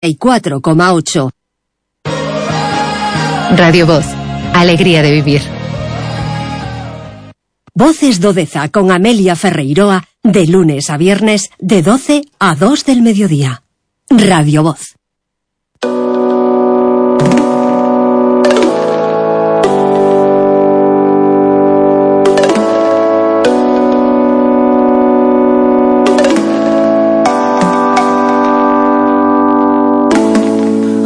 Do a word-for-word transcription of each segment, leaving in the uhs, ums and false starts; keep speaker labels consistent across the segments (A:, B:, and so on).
A: y cuatro coma ocho.
B: Radio Voz, alegría de vivir.
A: Voces do Deza con Amelia Ferreiroa, de lunes a viernes, de doce a dos del mediodía. Radio Voz.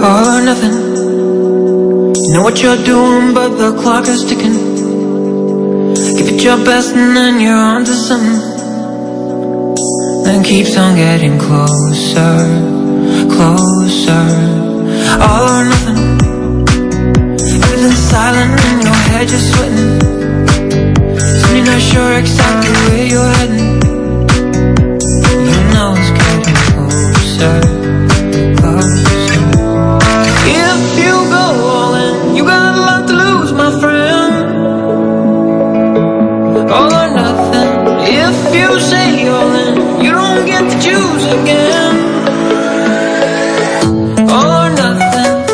C: All or nothing. You know what you're doing, but the clock is ticking. Give it your best and then you're on to something. Then keeps on getting closer, closer. All or nothing. Everything's silent in your head, you're sweating. So you're not sure exactly where you're heading. You know it's getting closer, closer. If you go all in, you got a lot to lose, my friend. All or nothing. If you say all in, you don't get to choose again. All or nothing.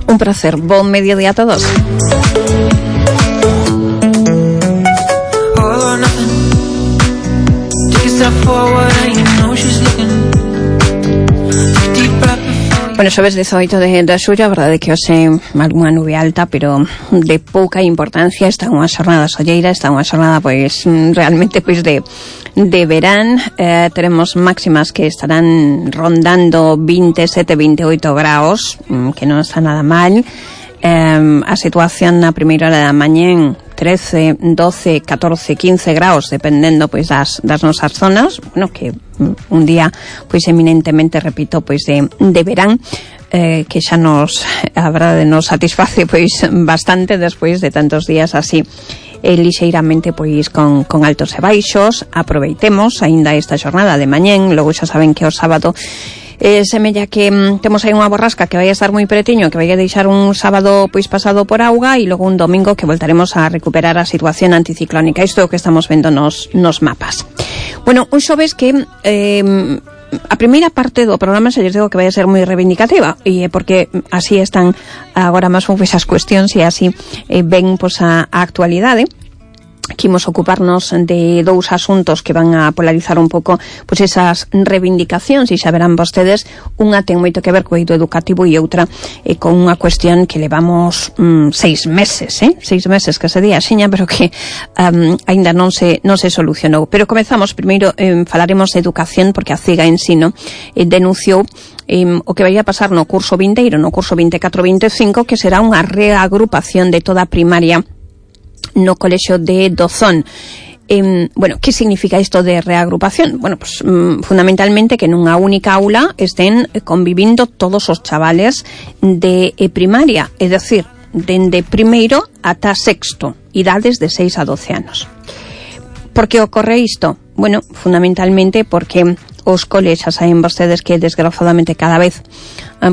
D: Un placer. Buen mediodía a todos. Bueno, xoves dezoito de, de xullo, a verdade é que hoxe algunha nube alta, pero de pouca importancia. Está unha xornada solleira, está unha xornada pois realmente pois de de verán. Eh, teremos máximas que estarán rondando veintisiete, veintiocho graus, que non está nada mal. Eh, a situación na primeira hora da mañén, trece, doce, catorce, quince graus, dependendo pois das, das nosas zonas. Bueno, que un día pois eminentemente, repito, pois de, de verán, eh, que xa nos, a verdade, nos satisface pois bastante despois de tantos días así eh, lixeiramente pois con, con altos e baixos. Aproveitemos aínda esta xornada de mañén. Logo xa saben que o sábado Eh, semella que mm, temos aí unha borrasca que vai a estar moi pretiño, que vai a deixar un sábado pois pasado por auga, e logo un domingo que voltaremos a recuperar a situación anticiclónica. Isto é o que estamos vendo nos, nos mapas. Bueno, un xoves que eh, a primeira parte do programa se lles digo que vai a ser moi reivindicativa, e porque así están agora máis esas cuestións e así eh, ven pois a, a actualidade. Quimos ocuparnos de dous asuntos que van a polarizar un pouco pois esas reivindicacións, e xa verán vostedes, unha ten moito que ver co eido educativo e outra eh, con unha cuestión que levamos mm, seis meses, eh? seis meses que se di axiña, pero que um, aínda non se non se solucionou. Pero comezamos, primeiro eh, falaremos de educación, porque a CIGA Ensino eh, denunciou eh, o que vai a pasar no curso vindeiro, no curso veinticuatro veinticinco, que será unha reagrupación de toda a primaria no colexio de Dozón. Eh, bueno, que significa isto de reagrupación? Bueno, pues mm, fundamentalmente que nunha única aula estén convivindo todos os chavales de eh, primaria, é dicir, dende primeiro ata sexto, idades de seis a doce anos. Por que ocorre isto? Bueno, fundamentalmente porque os coles, xa saben vostedes que desgraciadamente cada vez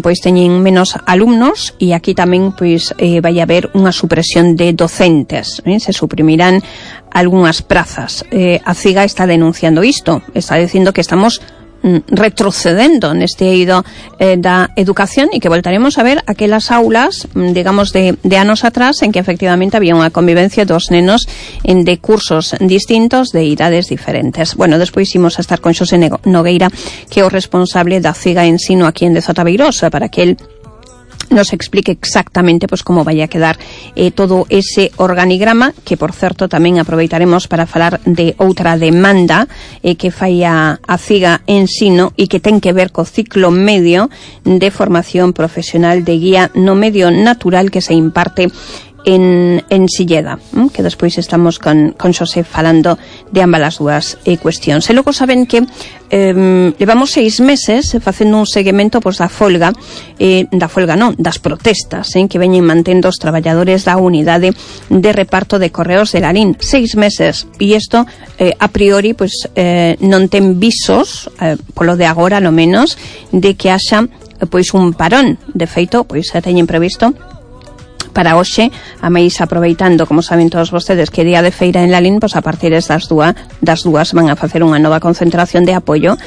D: pois teñen menos alumnos, e aquí tamén pois eh, vai haber unha supresión de docentes, eh? Se suprimirán algunhas prazas. Eh, a CIGA está denunciando isto, está dicindo que estamos retrocedendo neste eido eh, da educación, e que voltaremos a ver aquelas aulas, digamos, de, de anos atrás, en que efectivamente había unha convivencia dos nenos en de cursos distintos, de idades diferentes. Bueno, despois imos a estar con Xosé Nogueira, que é o responsable da CIGA Ensino aquí en Deza Tabeirosa, para que el nos explique exactamente pois como vai a quedar eh, todo ese organigrama, que por certo tamén aproveitaremos para falar de outra demanda eh, que fai a, a CIGA Ensino, e que ten que ver co ciclo medio de formación profesional de guía no medio natural que se imparte en, en Silleda, ¿m? Que despois estamos con, con Xosé falando de ambas as dúas eh, cuestións. E logo saben que eh, levamos seis meses facendo un seguimento pois, da folga, eh, da folga non, das protestas eh, que veñen mantendo os traballadores da unidade de reparto de correos de Lalín. Seis meses, e isto eh, a priori pois, eh, non ten visos, eh, polo de agora lo menos, de que haxa pois un parón. De feito, pois teñen previsto para hoxe, a máis aproveitando, como saben todos vostedes, que día de feira en Lalín, pois a partir das dúas, das dúas van a facer unha nova concentración de apoio,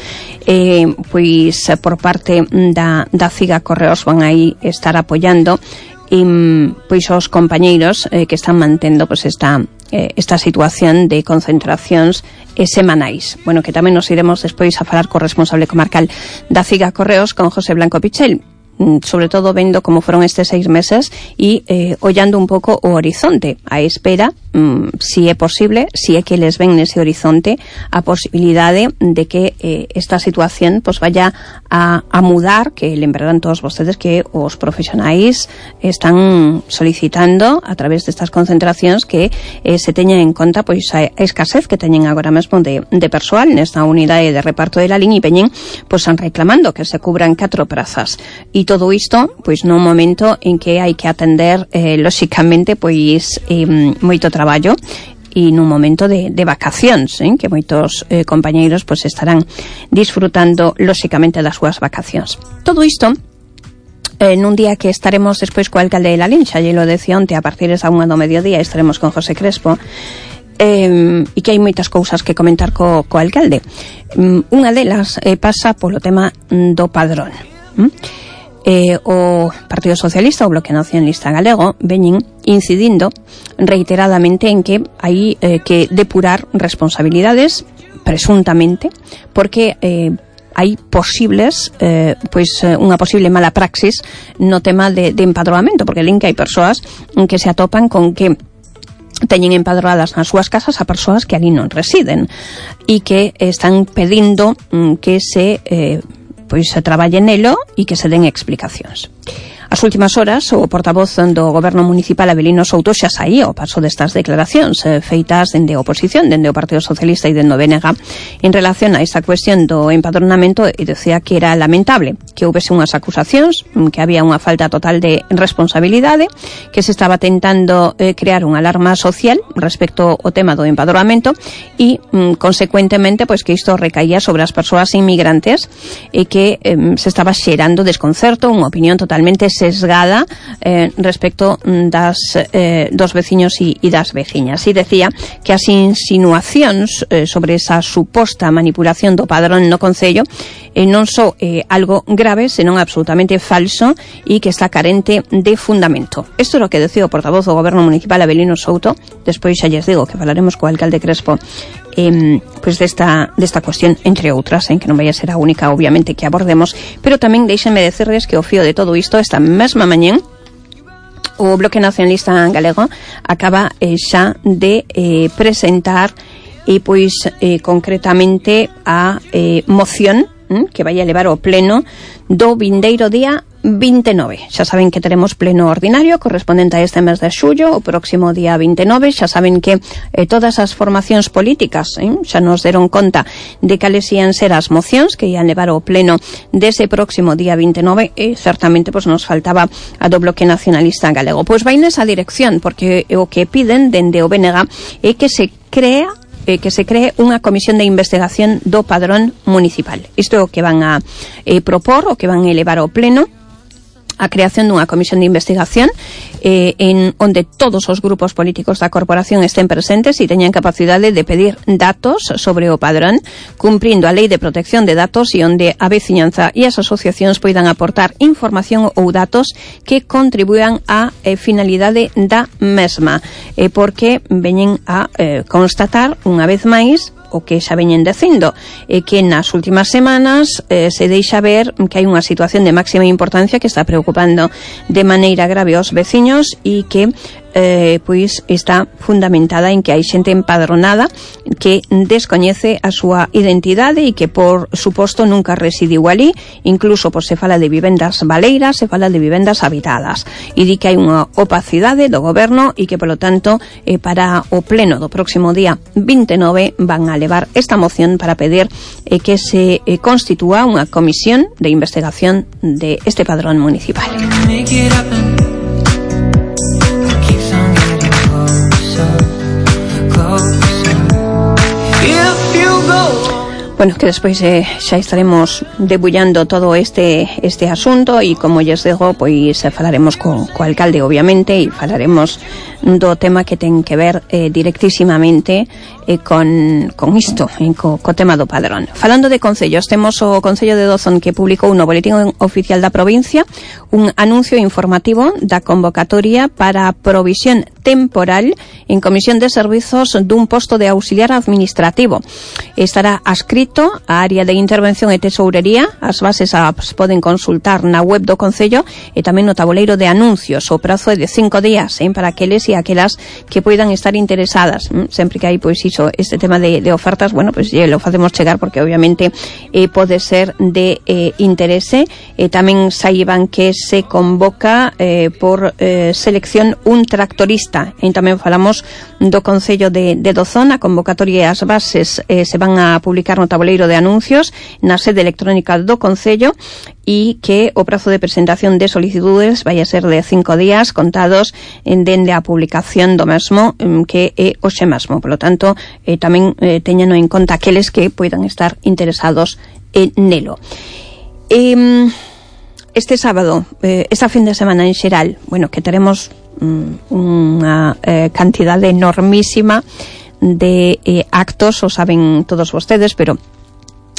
D: eh, pois por parte da, da Ciga Correos van aí estar apoiando e, pois os compañeiros eh, que están mantendo pois esta, eh, esta situación de concentracións eh, semanais. Bueno, que tamén nos iremos despois a falar co responsable comarcal da Ciga Correos, con José Blanco Pichel, sobre todo vendo como foron estes seis meses e eh, ollando un pouco o horizonte, a espera, mm, si é posible, si é que les ven nese horizonte a posibilidade de que eh, esta situación pues vaya a, a mudar, que lembrarán todos vostedes que os profesionais están solicitando a través destas concentracións que eh, se teña en conta pois a escasez que teñen agora mesmo de, de persoal nesta unidade de reparto de la línea e veñen pois han reclamando que se cubran catro prazas e todo isto, pois nun momento en que hai que atender, eh, lóxicamente, pois eh, moito traballo e nun momento de, de vacacións, eh, que moitos eh, compañeiros pois estarán disfrutando, lóxicamente, das súas vacacións. Todo isto eh, nun día que estaremos despois co alcalde de Lalín, xa lle lo decía onte, a partir da unha do mediodía estaremos con José Crespo, eh, e que hai moitas cousas que comentar co, co alcalde. Um, unha delas eh, pasa polo tema do padrón. ¿Mm? Eh, o Partido Socialista, o Bloque Nacionalista Galego, veñen incidindo reiteradamente en que hai eh, que depurar responsabilidades, presuntamente, porque eh, hai posibles, eh, pois unha posible mala praxis no tema de, de empadroamento, porque len que hai persoas que se atopan con que teñen empadroadas nas súas casas a persoas que ali non residen e que están pedindo mm, que se eh, pois se traballe nelo e que se den explicacións. As últimas horas, o portavoz do Goberno Municipal Avelino Souto xa saía ao paso destas declaracións eh, feitas dende a oposición, dende o Partido Socialista e dende o B N G en relación a esta cuestión do empadronamento, e decía que era lamentable que houvese unhas acusacións, que había unha falta total de responsabilidade, que se estaba tentando eh, crear unha alarma social respecto ao tema do empadronamento e, mm, consecuentemente, pois que isto recaía sobre as persoas inmigrantes e que eh, se estaba xerando desconcerto, unha opinión totalmente sesgada eh, respecto das eh, dos veciños e, e das veciñas. E decía que as insinuacións eh, sobre esa suposta manipulación do padrón no Concello eh, non só eh, algo grave, senón absolutamente falso e que está carente de fundamento. Isto é o que decía o portavoz do Goberno Municipal Avelino Souto. Despois xa lles digo que falaremos co alcalde Crespo Eh, pois desta, desta cuestión, entre outras, en que non vai a ser a única, obviamente, que abordemos, pero tamén deixenme decirles que o fío de todo isto, esta mesma mañén, o Bloque Nacionalista Galego acaba eh, xa de eh, presentar e pois eh, concretamente a eh, moción hm, que vai a levar ao pleno do vindeiro día vinte e nove. Xa saben que teremos pleno ordinario correspondente a este mes de xullo, o próximo día vinte e nove. Xa saben que eh, todas as formacións políticas eh, xa nos deron conta de cales ian ser as mocións que ian levar ao pleno dese próximo día vinte e nove, e certamente pois nos faltaba a do Bloque Nacionalista Galego. Pois vai nesa dirección, porque o que piden dende o B N G é que se crea Eh, que se cree unha comisión de investigación do padrón municipal. Isto é o que van a eh, propor, o que van a elevar ao pleno, a creación dunha comisión de investigación eh, en onde todos os grupos políticos da corporación estén presentes e teñan capacidade de pedir datos sobre o padrón, cumprindo a Lei de Protección de Datos, e onde a veciñanza e as asociacións poidan aportar información ou datos que contribuan á eh, finalidade da mesma, eh, porque veñen a eh, constatar unha vez máis o que xa veñen dicindo, é que nas últimas semanas eh, se deixa ver que hai unha situación de máxima importancia que está preocupando de maneira grave aos veciños e que eh, pois está fundamentada en que hai xente empadronada que descoñece a súa identidade e que por suposto nunca residiu ali, incluso pois se fala de vivendas baleiras, se fala de vivendas habitadas, e di que hai unha opacidade do goberno e que polo tanto eh, para o pleno do próximo día vinte e nove van a levar esta moción para pedir eh, que se eh, constitúa unha comisión de investigación de este padrón municipal. Bueno, que despois eh, xa estaremos debullando todo este este asunto e como lles digo, pois falaremos co, co alcalde obviamente e falaremos do tema que ten que ver eh, directísimamente eh, con, con isto, eh, co, co tema do padrón. Falando de concellos, temos o Concello de Dozón que publicou no Boletín Oficial da Provincia un anuncio informativo da convocatoria para a provisión temporal en comisión de servizos dun posto de auxiliar administrativo. Estará adscrito a área de intervención e tesourería. As bases as poden consultar na web do Concello e tamén no tabuleiro de anuncios. O prazo é de cinco días eh, para aqueles e aquelas que poidan estar interesadas. Mm, sempre que hai, pois, iso, este tema de, de ofertas, bueno, pois pues, lo facemos chegar porque obviamente eh, pode ser de eh, interese. E tamén saiban que se convoca eh, por eh, selección un tractorista. E tamén falamos do Concello de, de Dozón. A convocatoria e as bases eh, se van a publicar no tabuleiro de anuncios na sede electrónica do Concello e que o prazo de presentación de solicitudes vai a ser de cinco días contados en dende a publicación do mesmo, que é hoxe mesmo. Por lo tanto, eh, tamén eh, teñano en conta aqueles que poidan estar interesados en nelo. Eh, este sábado, eh, esta fin de semana en xeral, bueno, que teremos mm, unha eh, cantidade enormísima de eh, actos, o saben todos vostedes, pero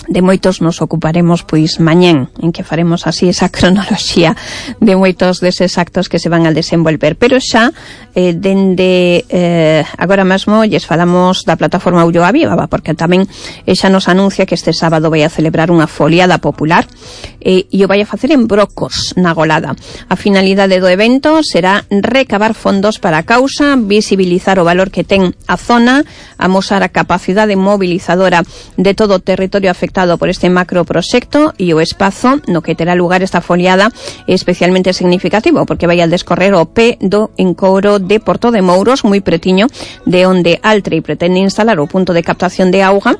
D: de moitos nos ocuparemos pois mañén, en que faremos así esa cronoloxía de moitos deses actos que se van a desenvolver. Pero xa eh, dende eh, agora mesmo lles falamos da plataforma Ulloa Viva, porque tamén eh, xa nos anuncia que este sábado vai a celebrar unha foliada popular eh, e o vai a facer en Brocos, na Golada. A finalidade do evento será recabar fondos para a causa, visibilizar o valor que ten a zona, amosar a capacidade mobilizadora de todo o territorio afectado por este macroproxecto e o espazo no que terá lugar esta foliada é especialmente significativo porque vai a descorrer o pé do encouro de Porto de Mouros, moi pretiño de onde Altri pretende instalar o punto de captación de auga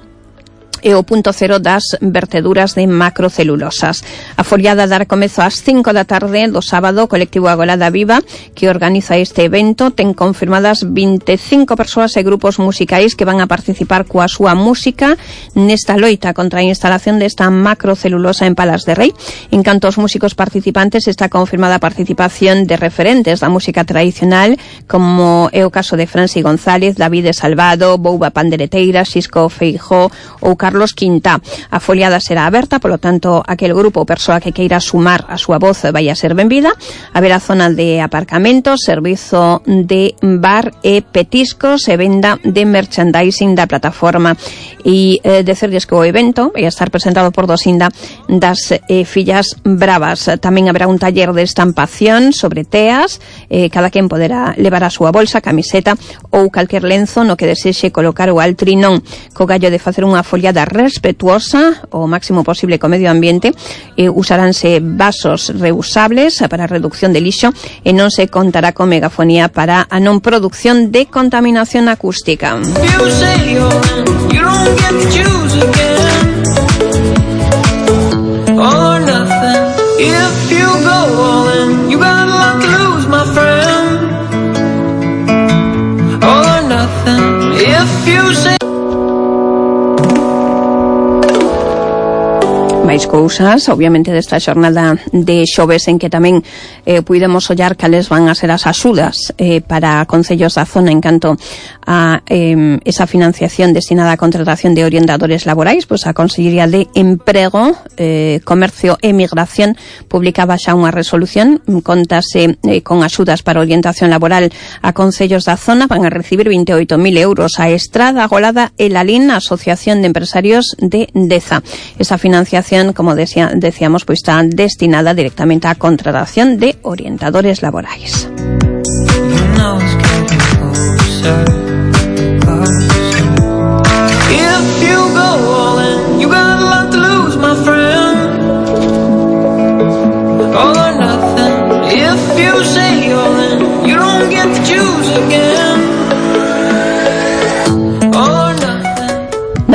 D: e o punto cero das verteduras de macrocelulosas. A foliada dará comezo ás cinco da tarde do sábado. O colectivo Agolada Viva, que organiza este evento, ten confirmadas vinte e cinco persoas e grupos musicais que van a participar coa súa música nesta loita contra a instalación desta macrocelulosa en Palas de Rei. En canto aos músicos participantes, está confirmada a participación de referentes da música tradicional, como é o caso de Franci González, David Salvado, Bouba Pandereteira, Xisco Feijó ou Carlos Quintá. A foliada será aberta, polo tanto, aquel grupo ou persoa que queira sumar a súa voz vai a ser benvida. Haberá zona de aparcamentos, servizo de bar e petiscos e venda de merchandising da plataforma. E eh, decerlles que o evento vai a estar presentado por Dosinda das eh, Fillas Bravas. Tamén haberá un taller de estampación sobre teas. Eh, cada quen poderá levar a súa bolsa, camiseta ou calquer lenzo no que desexe colocar o altrinón, co gallo de facer unha foliada respetuosa o máximo posible co medio ambiente. Eh, usaránse vasos reusables para a reducción de lixo e non se contará con megafonía para a non produción de contaminación acústica. Máis cousas, obviamente, desta xornada de xoves en que tamén eh, puidemos ollar cales van a ser as axudas eh, para concellos da zona en canto a eh, esa financiación destinada á contratación de orientadores laborais. Pois a Consellería de Emprego, eh, Comercio e Migración publicaba xa unha resolución, contase eh, con axudas para orientación laboral a concellos da zona. Van a recibir veinte e oito mil euros a Estrada, Agolada e Lalín, a Asociación de Empresarios de Deza. Esa financiación, como decía, decíamos, pues está destinada directamente a contratación de orientadores laborais.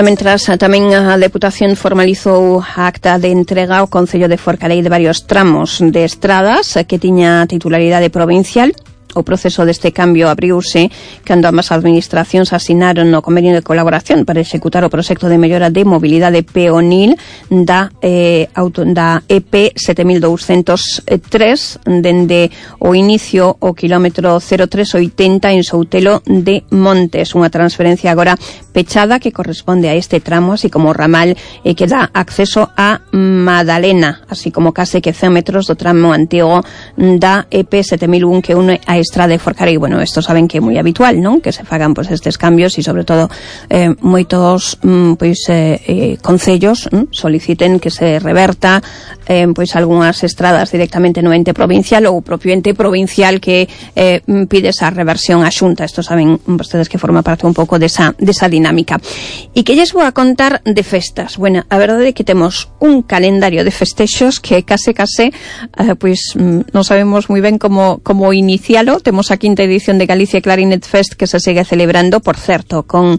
D: Mentras, tamén a Deputación formalizou a acta de entrega ao Concello de Forcarei de varios tramos de estradas que tiña titularidade provincial o proceso deste cambio abriuse cando ambas administracións asinaron no convenio de colaboración para executar o proxecto de mellora de mobilidade peonil da, eh, auto, da E P sete mil douscentos tres dende o inicio o kilómetro cero tres oitenta en Soutelo de Montes, unha transferencia agora pechada que corresponde a este tramo, así como o ramal eh, que dá acceso a Madalena, así como case que cen metros do tramo antigo da E P sete mil un que une a Estrada de Forcarei. Bueno, esto saben que é moi habitual, non? Que se fagan pues estes cambios e sobre todo eh, moitos mm, pois eh, eh, concellos mm, soliciten que se reverta eh, pois algunhas estradas directamente no ente provincial ou o propio ente provincial que eh, pide esa reversión á Xunta. Esto saben vostedes que forma parte un pouco desa, desa dinámica. E que lles vou a contar de festas. Bueno, a verdade é que temos un calendario de festexos que case case eh, pois mm, non sabemos moi ben como, como inicialo. Temos a quinta edición de Galicia Clarinet Fest que se segue celebrando, por certo, con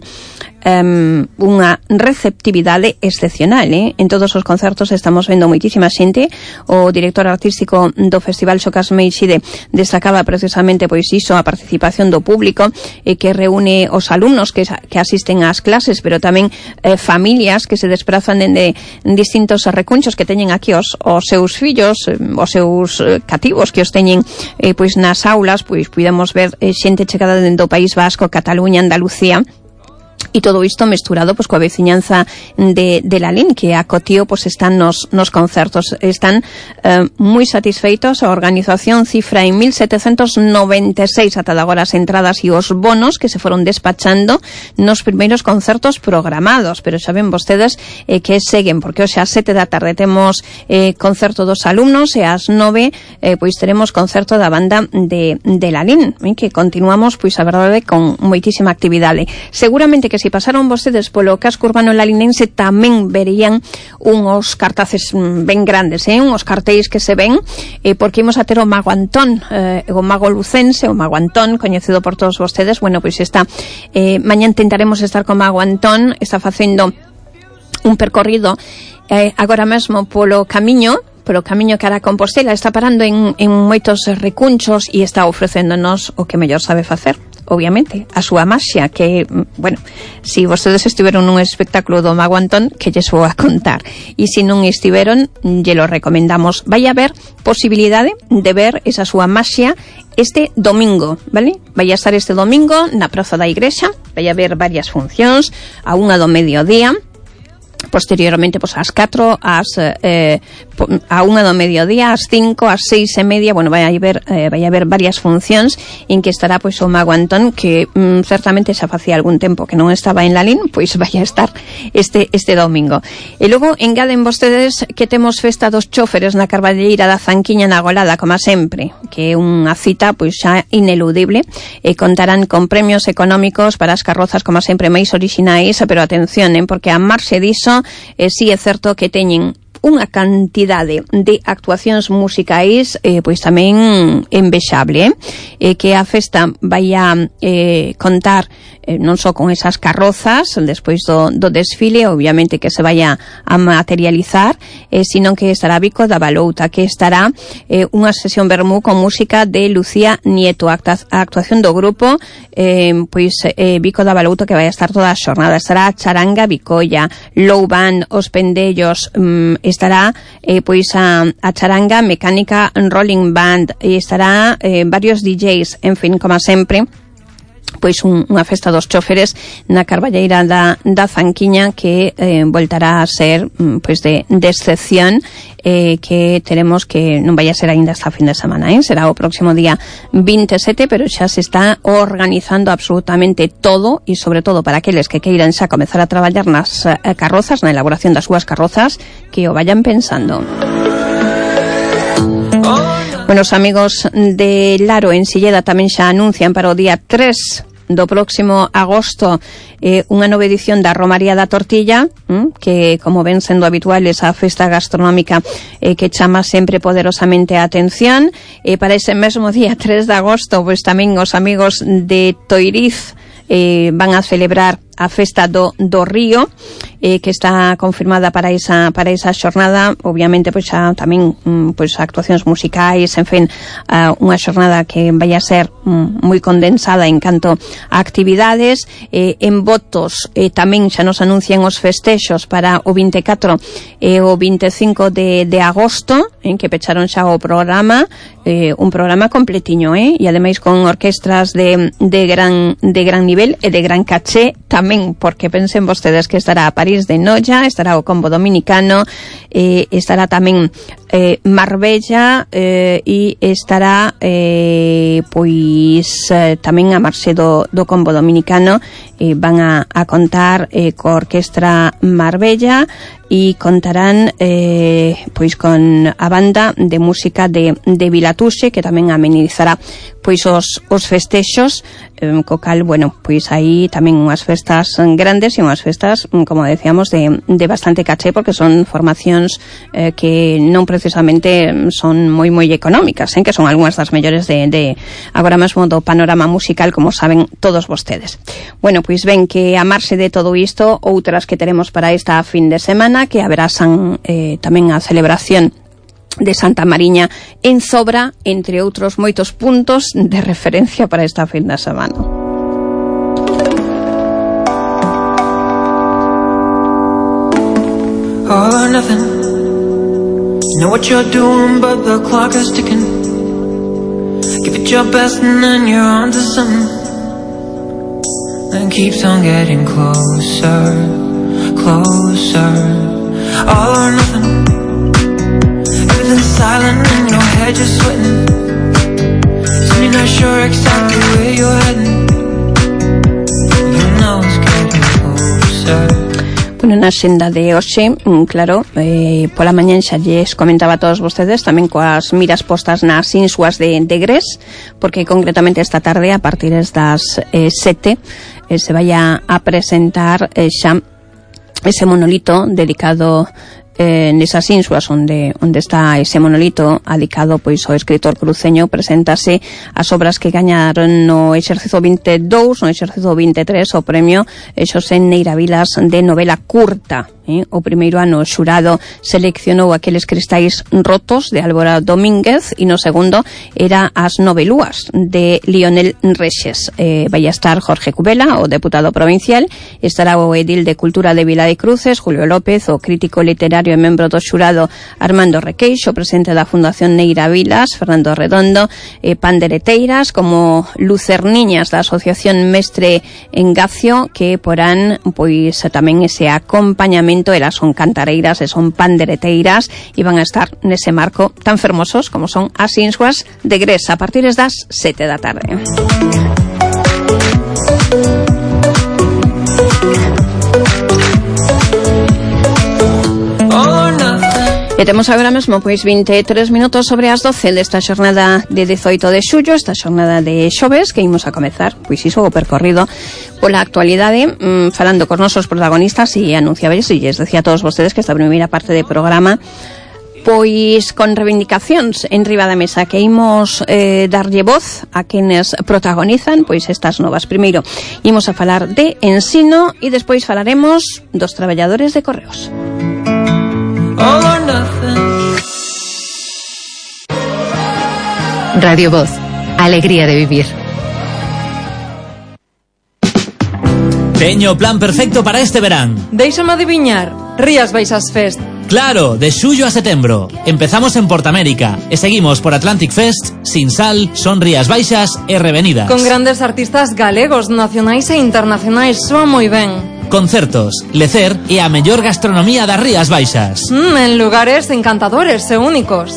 D: Um, unha receptividade excepcional, eh? En todos os concertos estamos vendo moitísima xente. O director artístico do Festival Xocas Meixide destacaba precisamente pois iso, a participación do público eh, que reúne os alumnos que, que asisten ás clases, pero tamén eh, familias que se desprazan dende distintos recunchos que teñen aquí os, os seus fillos, eh, os seus eh, cativos que os teñen eh, pois nas aulas. Pois podemos ver eh, xente chegada dentro do País Vasco, Cataluña, Andalucía. E todo isto mesturado pois coa veciñanza de, de Lalín, que a Cotío pois están nos, nos concertos. Están eh, moi satisfeitos. A organización cifra en mil setecentos noventa e seis ata agora as entradas e os bonos que se foron despachando nos primeiros concertos programados, pero xa ven vostedes eh, que seguen, porque hoxe ás sete da tarde temos eh, concerto dos alumnos e ás nove eh, pois teremos concerto da banda de, de Lalín, eh, que continuamos pois a verdade con moitísima actividade. Seguramente que se pasaron vostedes polo casco urbano lalinense tamén verían unhos cartaces ben grandes, eh? unhos cartéis que se ven, eh, porque imos a ter o Mago Antón, eh, o Mago Lucense, o Mago Antón, coñecido por todos vostedes. Bueno, pois está, eh, mañá intentaremos estar con Mago Antón, está facendo un percorrido eh, agora mesmo polo camiño, polo camiño que hará Compostela, está parando en, en moitos recunchos e está ofrecéndonos o que mellor sabe facer. Obviamente, a súa maxia, que, bueno, si vostedes estiveron nun espectáculo do Mago Antón, que lles vou a contar. E se non estiveron, lle lo recomendamos. Vai a haber posibilidade de ver esa súa maxia este domingo, vale? Vai a estar este domingo na Praza da Igrexa, vai a haber varias funcións, a unha do mediodía, posteriormente pois ás catro, ás eh, a unha do mediodía, ás cinco, ás seis e media. Bueno, vai a haber eh, vai a haber varias funcións en que estará pois o Mago Antón, que mm, certamente xa facía algún tempo que non estaba en Lalín, pois vai a estar este este domingo. E logo engaden vostedes que temos festa dos choferes na Carballeira da Zanquiña na Golada, como sempre, que é unha cita pois xa ineludible, e contarán con premios económicos para as carrozas como sempre máis orixinais, pero atención, eh, porque a marxe diso Eh, si é certo que teñen unha cantidade de actuacións musicais eh, pois tamén envexable, eh? Eh, que a festa vai a eh, contar eh, non só con esas carrozas despois do, do desfile, obviamente que se vai a, a materializar, eh, sino que estará Vico da Balouta, que estará eh, unha sesión vermú con música de Lucía Nieto, a actuación do grupo eh, pois eh, Vico da Balouta, que vai a estar toda a xornada. Estará Charanga Vicolla, Low Band, Os Pendellos, mm, estará eh, pois a, a Charanga Mecánica Rolling Band, e estará eh, varios D Js, en fin, como sempre, pois un, unha festa dos choferes na Carballeira da, da Zanquiña, que eh, voltará a ser pois de, de excepción, eh, que teremos que non vai a ser aínda esta fin de semana, eh? Será o próximo día vinte e sete, pero xa se está organizando absolutamente todo, e sobre todo para aqueles que queiran xa comezar a traballar nas eh, carrozas, na elaboración das súas carrozas, que o vayan pensando. Bueno, os amigos de Laro en Silleda tamén xa anuncian para o día tres do próximo agosto eh, unha nova edición da Romaría da Tortilla, hm, que, como ven sendo habitual, esa festa gastronómica eh, que chama sempre poderosamente a atención. E eh, para ese mesmo día tres de agosto, pois tamén os amigos de Toiriz eh, van a celebrar a festa do, do Río, eh, que está confirmada para esa para esa xornada. Obviamente, pois xa tamén pois actuacións musicais, en fin, uh, unha xornada que vai a ser um, moi condensada en canto a actividades. Eh, en votos eh, tamén xa nos anuncian os festexos para o vinte e catro e o vinte e cinco de, de agosto, en que pecharon xa o programa, eh, un programa completiño, eh, e ademais con orquestras de, de gran de gran nivel e de gran caché tamén, porque pensen vostedes que estará a París de Noia, estará o Combo Dominicano, eh, estará tamén eh, Marbella eh, e estará eh, pois eh, tamén a marxe do, do Combo Dominicano. Eh, van a, a contar eh, co Orquestra Marbella e contarán eh, pois con a banda de música de, de Vilatuxe, que tamén amenizará pois os, os festexos, eh, co cal, bueno, pois aí tamén unhas festas grandes e unhas festas, como decíamos, de, de bastante caché, porque son formacións eh, que non precisamente son moi moi económicas, eh, que son algunhas das mellores de, de agora mesmo do panorama musical, como saben todos vostedes. Bueno, pois ven que a marxe de todo isto, outras que teremos para esta fin de semana, que haberá san, eh, tamén a celebración de Santa Mariña en Zobra, entre outros moitos puntos de referencia para esta fin de semana.
C: All or nothing. You know what you're doing, but the clock is ticking. Give it your best and then you're on to something. And keeps on getting closer, closer. All or nothing. Everything's silent in your head, you're sweating. So you're not sure exactly where you're heading. You know it's getting closer.
D: Bueno, na xenda de hoxe, claro, eh, pola mañan xa lles comentaba a todos vostedes, tamén coas miras postas nas Insuas de, de Gres, porque concretamente esta tarde, a partir das eh, sete, eh, se vai a, a presentar eh, xa ese monolito dedicado eh, nesas Insuas onde onde está ese monolito adicado pois ao escritor cruceño. Preséntase as obras que gañaron no exercicio vinte e dous, no exercicio vinte e tres, o premio Xosé Neira Vilas de novela curta. Eh? O primeiro ano o xurado seleccionou aqueles cristais rotos de Álvaro Domínguez e no segundo era As novelúas de Lionel Rexes. Eh, vai a estar Jorge Cubela, o deputado provincial, estará o edil de Cultura de Vila de Cruces, Julio López, o crítico literario e membro do xurado Armando Requeixo, o presidente da Fundación Neira Vilas, Fernando Redondo, eh, pandereteiras como Lucerniñas da Asociación Mestre Engacio, que porán pois tamén ese acompañamento. Elas son cantareiras e son pandereteiras e van a estar nese marco tan fermosos como son as Insuas de Gres a partir das sete da tarde. E temos agora mesmo pois vinte e tres minutos sobre as doce desta xornada de dezoito de xullo, esta xornada de xoves, que imos a comezar pois iso o percorrido pola actualidade, mmm, falando cos nosos protagonistas e anunciables, e lles decía a todos vostedes que esta primeira parte de programa pois con reivindicacións en riba da mesa, que imos eh, darlle voz a quenes protagonizan pois estas novas. Primeiro imos a falar de ensino e despois falaremos dos traballadores de Correos.
C: All or nothing.
B: Radio Voz, alegría de vivir.
E: Teño o plan perfecto para este verán.
F: Déixame adiviñar, Rías Baixas Fest.
E: Claro, de xullo a setembro. Empezamos en Portamérica e seguimos por Atlantic Fest, Sinsal, Son Rías Baixas e Revenidas.
F: Con grandes artistas galegos, nacionais e internacionais, soa moi ben.
E: Concertos, lecer e a mellor gastronomía das Rías Baixas.
F: Mm, en lugares encantadores e únicos.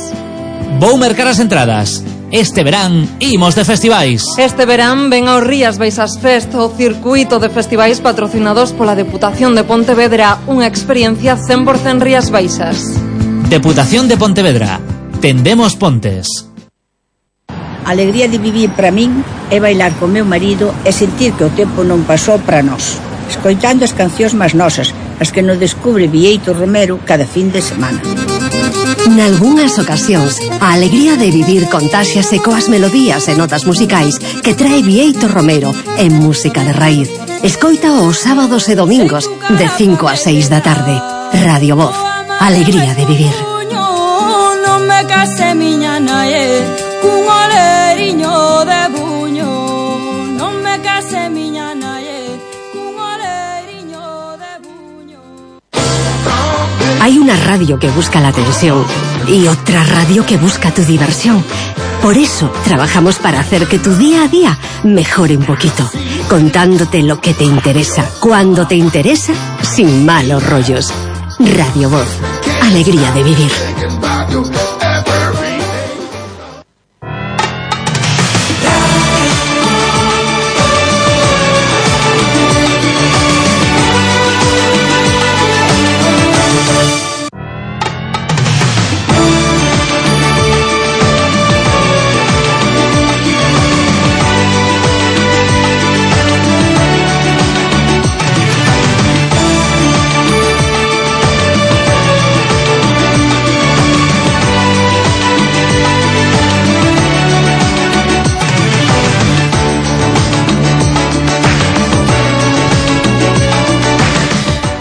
E: Vou mercar as entradas. Este verán imos de festivais.
F: Este verán ven ao Rías Baixas Fest, o circuito de festivais patrocinados pola Deputación de Pontevedra, unha experiencia cen por cen Rías Baixas.
E: Deputación de Pontevedra. Tendemos pontes.
G: A alegría de vivir para min é bailar co meu marido e sentir que o tempo non pasou para nós, escoitando as cancións máis nosas, as que nos descubre Vieito Romero cada fin de semana.
A: Nalgúnas ocasións, a alegría de vivir contáxiase coas melodías e notas musicais que trae Bieito Romero en Música de Raíz. Escoita os sábados e domingos de cinco a seis da tarde. Radio Voz, alegría de vivir.
H: Non me case miña nae, cun oleriño de buño. Non me case miña nae, cun oleriño de buño.
A: Hay una radio que busca la atención y otra radio que busca tu diversión. Por eso trabajamos para hacer que tu día a día mejore un poquito, contándote lo que te interesa, cuando te interesa, sin malos rollos. Radio Voz, alegría de vivir.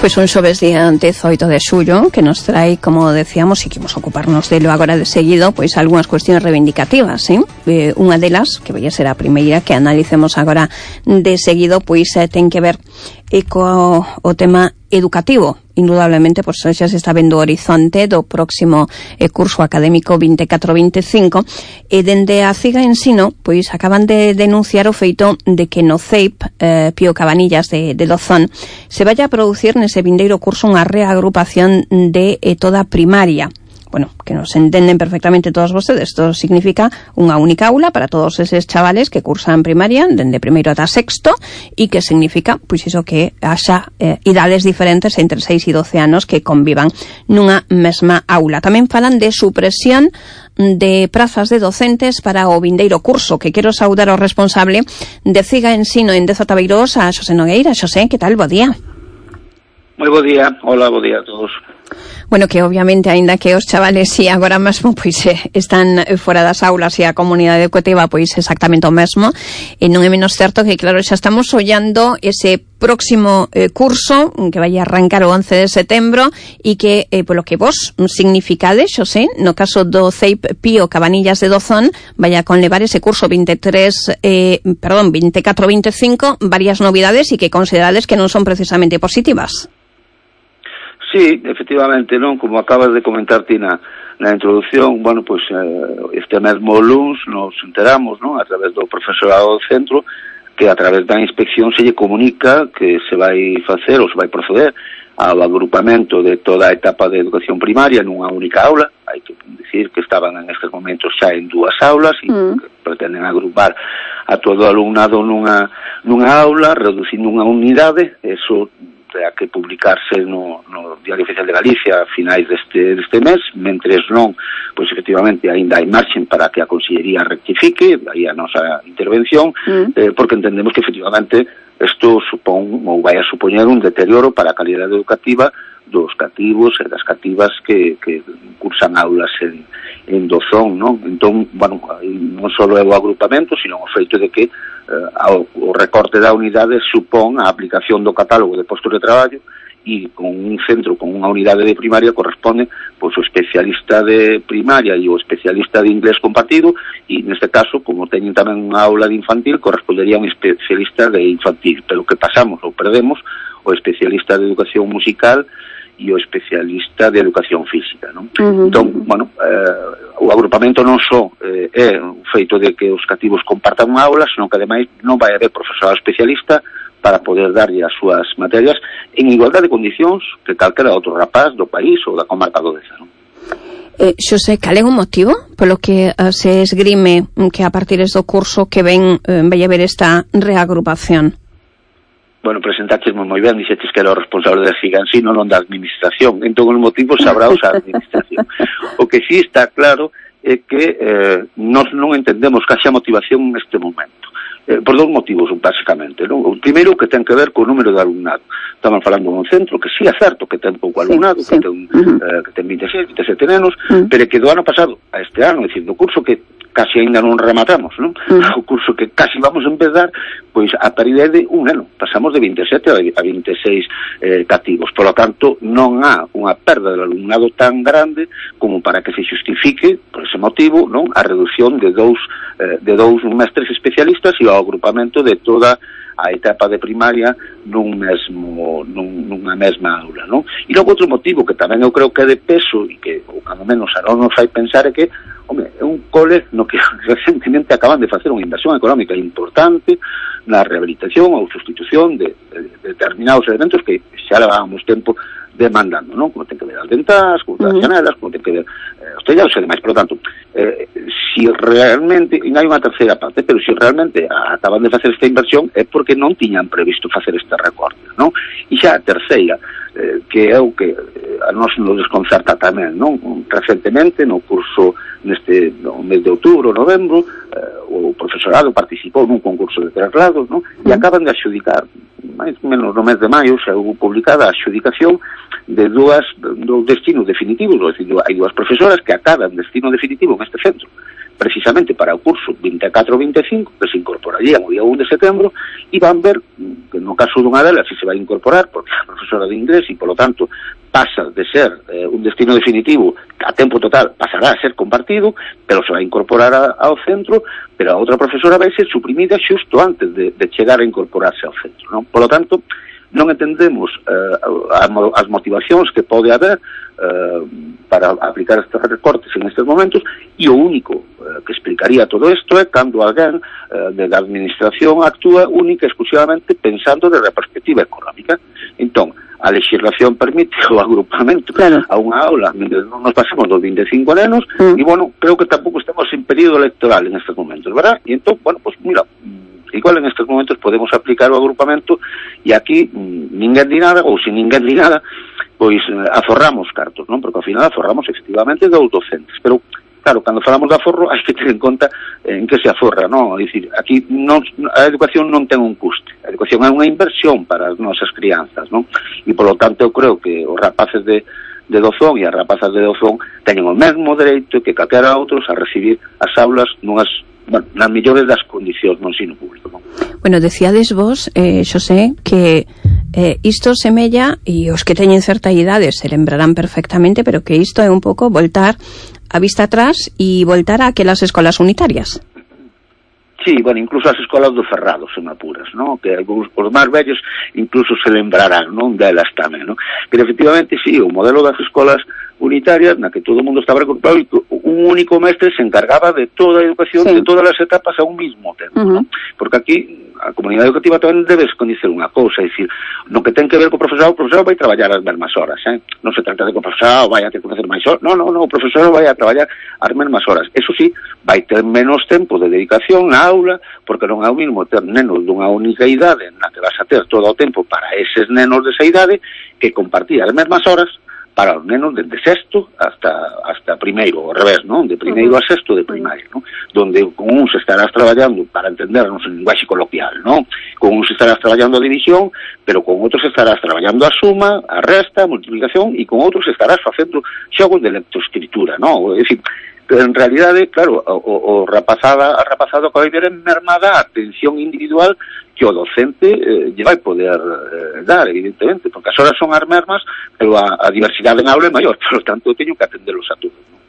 D: Pois un xoves día dezoito de xullo que nos trae, como decíamos, e que vamos a ocuparnos delo agora de seguido, pois algunhas cuestións reivindicativas, eh? eh unha delas, que vai a ser a primeira que analicemos agora de seguido, pois eh, ten que ver eh, co o tema educativo. Indudablemente, pois xa se está vendo o horizonte do próximo eh, curso académico vinte e catro vinte e cinco, e dende a CIGA Ensino, pois acaban de denunciar o feito de que no C E I P eh, Pío Cabanillas de, de Dozón se vaya a producir nese vindeiro curso unha reagrupación de eh, toda a primaria. Bueno, que nos entenden perfectamente todos vostedes. Isto significa unha única aula para todos eses chavales que cursan primaria dende primeiro ata sexto, e que significa, pois iso, que haxa eh, idades diferentes entre seis e doce anos que convivan nunha mesma aula. Tamén falan de supresión de prazas de docentes para o vindeiro curso, que quero saudar ao responsable de CIGA Ensino en Deza Tabeiros, a Xosé Nogueira. Xosé, que tal? Bo día.
I: Moi bo día. Hola, bo día a todos.
D: Bueno, que obviamente, aínda que os chavales si agora mesmo pois eh, están fora das aulas e a comunidade educativa pois exactamente o mesmo, e non é menos certo que, claro, xa estamos ollando ese próximo eh, curso que vai arrancar o once de setembro e que, eh, polo que vos significades, Xosé, no caso do C E I P Pío Cabanillas de Dozón, vai a conlevar ese curso veintitrés, eh, perdón, vinte e catro vinte e cinco, varias novidades e que considerades que non son precisamente positivas.
I: Sí, efectivamente, non, como acabas de comentar ti na, na introducción, bueno, pois eh, este mesmo luns nos enteramos, non, a través do profesorado do centro, que a través da inspección se lle comunica que se vai facer ou se vai proceder ao agrupamento de toda a etapa de educación primaria nunha única aula. Hai que dicir que estaban en estes momentos xa en dúas aulas e mm. que pretenden agrupar a todo o alumnado nunha, nunha aula, reducindo unha unidade. Eso terá que publicarse no, no Diario Oficial de Galicia a finais deste, deste mes, mentres non, pois efectivamente aínda hai marxen para que a Consellería rectifique, aí a nosa intervención, mm. eh, porque entendemos que efectivamente isto supón ou vai a supoñer un deterioro para a calidade educativa dos cativos e das cativas que, que cursan aulas en, en Dozón, non? Entón, bueno, non só é o agrupamento, sino o feito de que eh, ao, o recorte da unidade supón a aplicación do catálogo de postos de traballo, e con un centro, con unha unidade de primaria corresponde pois o especialista de primaria e o especialista de inglés compartido, e neste caso, como teñen tamén unha aula de infantil, correspondería un especialista de infantil, pero que pasamos ou perdemos o especialista de educación musical e o especialista de educación física, non? Uh-huh. Entón, bueno, eh, o agrupamento non só eh, é o feito de que os cativos compartan unha aula, senón que ademais non vai haber profesorado especialista para poder darlle as súas materias en igualdade de condicións que calquera outro rapaz do país ou da comarca do Deza, non?
D: Eh, Xosé, cal é o motivo polo que uh, se esgrime que a partir do curso que ven uh, vai haber esta reagrupación?
I: Bueno, presentaxesmo moi ben, dixetes que era o responsable da CIGA Ensino, non da administración. Entón, os motivos sabrá a administración. O que sí está claro é que eh, nós non entendemos que haxa motivación neste momento. Eh, por dous motivos, basicamente, non? O primeiro, que ten que ver co número de alumnado. Estaban falando dun centro que sí é certo que ten pouco alumnado, sí, sí. que ten, uh-huh. eh, que ten veintiséis, veintisiete nenos, uh-huh. pero que do ano pasado a este ano, é dicir, do curso que casi ainda non rematamos, non? Uh-huh. O curso que casi vamos a empezar, pois a paridade de un neno. Pasamos de veintisiete a veintiséis eh, cativos. Por lo tanto, non há unha perda de alumnado tan grande como para que se justifique, por ese motivo, non, a reducción de dous eh, de dous mestres especialistas e o agrupamento de toda a etapa de primaria nun mesmo, nun, nunha mesma aula, non? E logo outro motivo que tamén eu creo que é de peso e que, ou cando menos a non nos fai pensar, é que, home, é un cole no que recentemente acaban de facer unha inversión económica importante na rehabilitación ou sustitución de, de, de determinados elementos que xa levábamos tempo demandando, non? Como ten que ver as ventás, como ten as janelas, como ten que ver eh, os tellados e demais. Por lo tanto, eh, si realmente, e non hai unha terceira parte, pero si realmente acaban de facer esta inversión é porque non tiñan previsto facer este recorte, non? E xa a terceira, eh, que é o que eh, a nos nos desconcerta tamén, non? Recentemente, no curso neste no mes de outubro, novembro, eh, o profesorado participou nun concurso de traslados, non? E acaban de adxudicar, máis ou menos no mes de maio, xa houve publicada a adxudicación de dúas dos destinos definitivos, ou decir, hai dúas profesoras que acaban destino definitivo en este centro, precisamente para o curso veinticuatro veinticinco, que se incorporarían o día un de setembro, e van ver que no caso dunha delas si se vai incorporar, porque é profesora de inglés e, polo tanto, pasa de ser eh, un destino definitivo a tempo total, pasará a ser compartido, pero se vai incorporar a, ao centro, pero a outra profesora vai ser suprimida xusto antes de, de chegar a incorporarse ao centro, non? Polo tanto, non entendemos eh, as motivacións que pode haber eh, para aplicar estes recortes en estes momentos, e o único eh, que explicaría todo isto é cando alguén eh, de da administración actúa única e exclusivamente pensando de la perspectiva económica. Entón, a legislación permite o agrupamento claro. a unha aula, non nos pasemos dos veinticinco nenos, mm. e, bueno, creo que tampouco estamos en período electoral en estes momentos, verdad? E entón, bueno, pues mira, igual en estes momentos podemos aplicar o agrupamento e aquí ninguén di nada, ou se ninguén di nada, pois aforramos cartos, non? Porque ao final aforramos efectivamente dos docentes, pero claro, cando falamos de aforro hai que ter en conta en que se aforra, non? É dicir, aquí non, a educación non ten un custe, a educación é unha inversión para as nosas crianzas, non? E polo tanto eu creo que os rapaces de de Dozón e as rapazas de Dozón teñen o mesmo dereito que calquera outros a recibir as aulas nunhas, bueno, nas mellores das condicións no ensino público, non?
D: Bueno, decíades vos, eh, Xosé, que eh, isto semella, e os que teñen certa idade se lembrarán perfectamente, pero que isto é un pouco voltar a vista atrás e voltar a aquelas escolas unitarias.
I: Sí, bueno, incluso as escolas do Ferrado, se me apuras, ¿no? Que algúns, os máis vellos incluso se lembrarán, non? Delas tamén, ¿no? Pero efectivamente, sí, o modelo das escolas unitarias, na que todo o mundo estaba recuperado e un único mestre se encargaba de toda a educación, sí. de todas as etapas a un mismo tempo, uh-huh. ¿no? Porque aquí a comunidade educativa tamén debes coñecer unha cousa, é dicir, no que ten que ver co profesorado, o profesorado vai traballar as mesmas horas, eh? Non se trata de que o profesorado vai a ter que facer máis horas, non, non, non, o profesorado vai a traballar as mesmas horas. Eso sí, vai ter menos tempo de dedicación na aula, porque non é o mismo ter nenos dunha única idade na que vas a ter todo o tempo para eses nenos desa idade que compartir as mesmas horas para os nenos desde sexto hasta hasta primeiro, ao revés, non? De primeiro a sexto de primaria, non? Donde con uns estarás traballando para entendernos en linguaxe coloquial, non? Con uns estarás traballando a división, pero con outros estarás traballando a suma, a resta, a multiplicación, e con outros estarás facendo xogos de lectoescritura, non? É dicir, en realidade, claro, o, o rapazada, a rapazada que vai ver en mermada a atención individual que o docente eh, lle vai poder eh, dar, evidentemente, porque as horas son as mesmas, pero a, a diversidade en aula é maior, por lo tanto, teño que atendelos a todos, ¿no?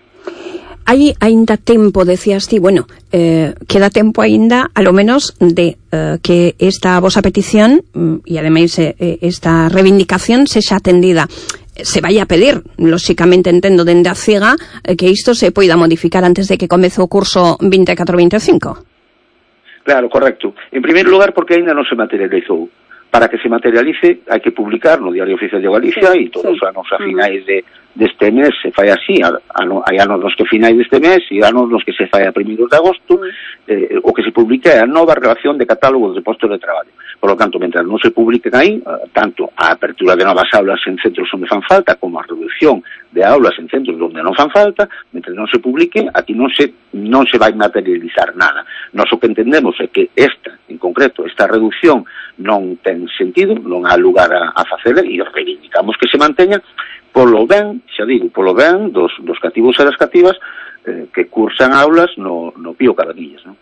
D: Hai aínda tempo, decías ti, bueno, eh, queda tempo aínda, a lo menos, de eh, que esta vosa petición, e ademais eh, esta reivindicación sexa atendida. Se vai a pedir, lóxicamente entendo dende a CIGA, eh, que isto se poida modificar antes de que comece o curso veinticuatro veinticinco.
I: Claro, correcto. En primeiro lugar, porque aínda non se materializou. Para que se materialice, hai que publicar no Diario Oficial de Galicia, sí, e todos os anos a finais de, deste mes se fai así. Hai anos nos que finais deste mes e anos nos que se fai a primeiros de agosto. Eh, o que se publica é a nova relación de catálogos de postos de traballo. Por lo tanto, mentre non se publiquen aí, tanto a apertura de novas aulas en centros onde fan falta, como a reducción de aulas en centros onde non fan falta, mentre non se publiquen, aquí non se non se vai materializar nada. Nós o que entendemos é que esta, en concreto, esta reducción non ten sentido, non há lugar a, a facela, e reivindicamos que se manteña polo ben, xa digo, polo ben dos, dos cativos e das cativas eh, que cursan aulas no, no Pío Cabanillas, non?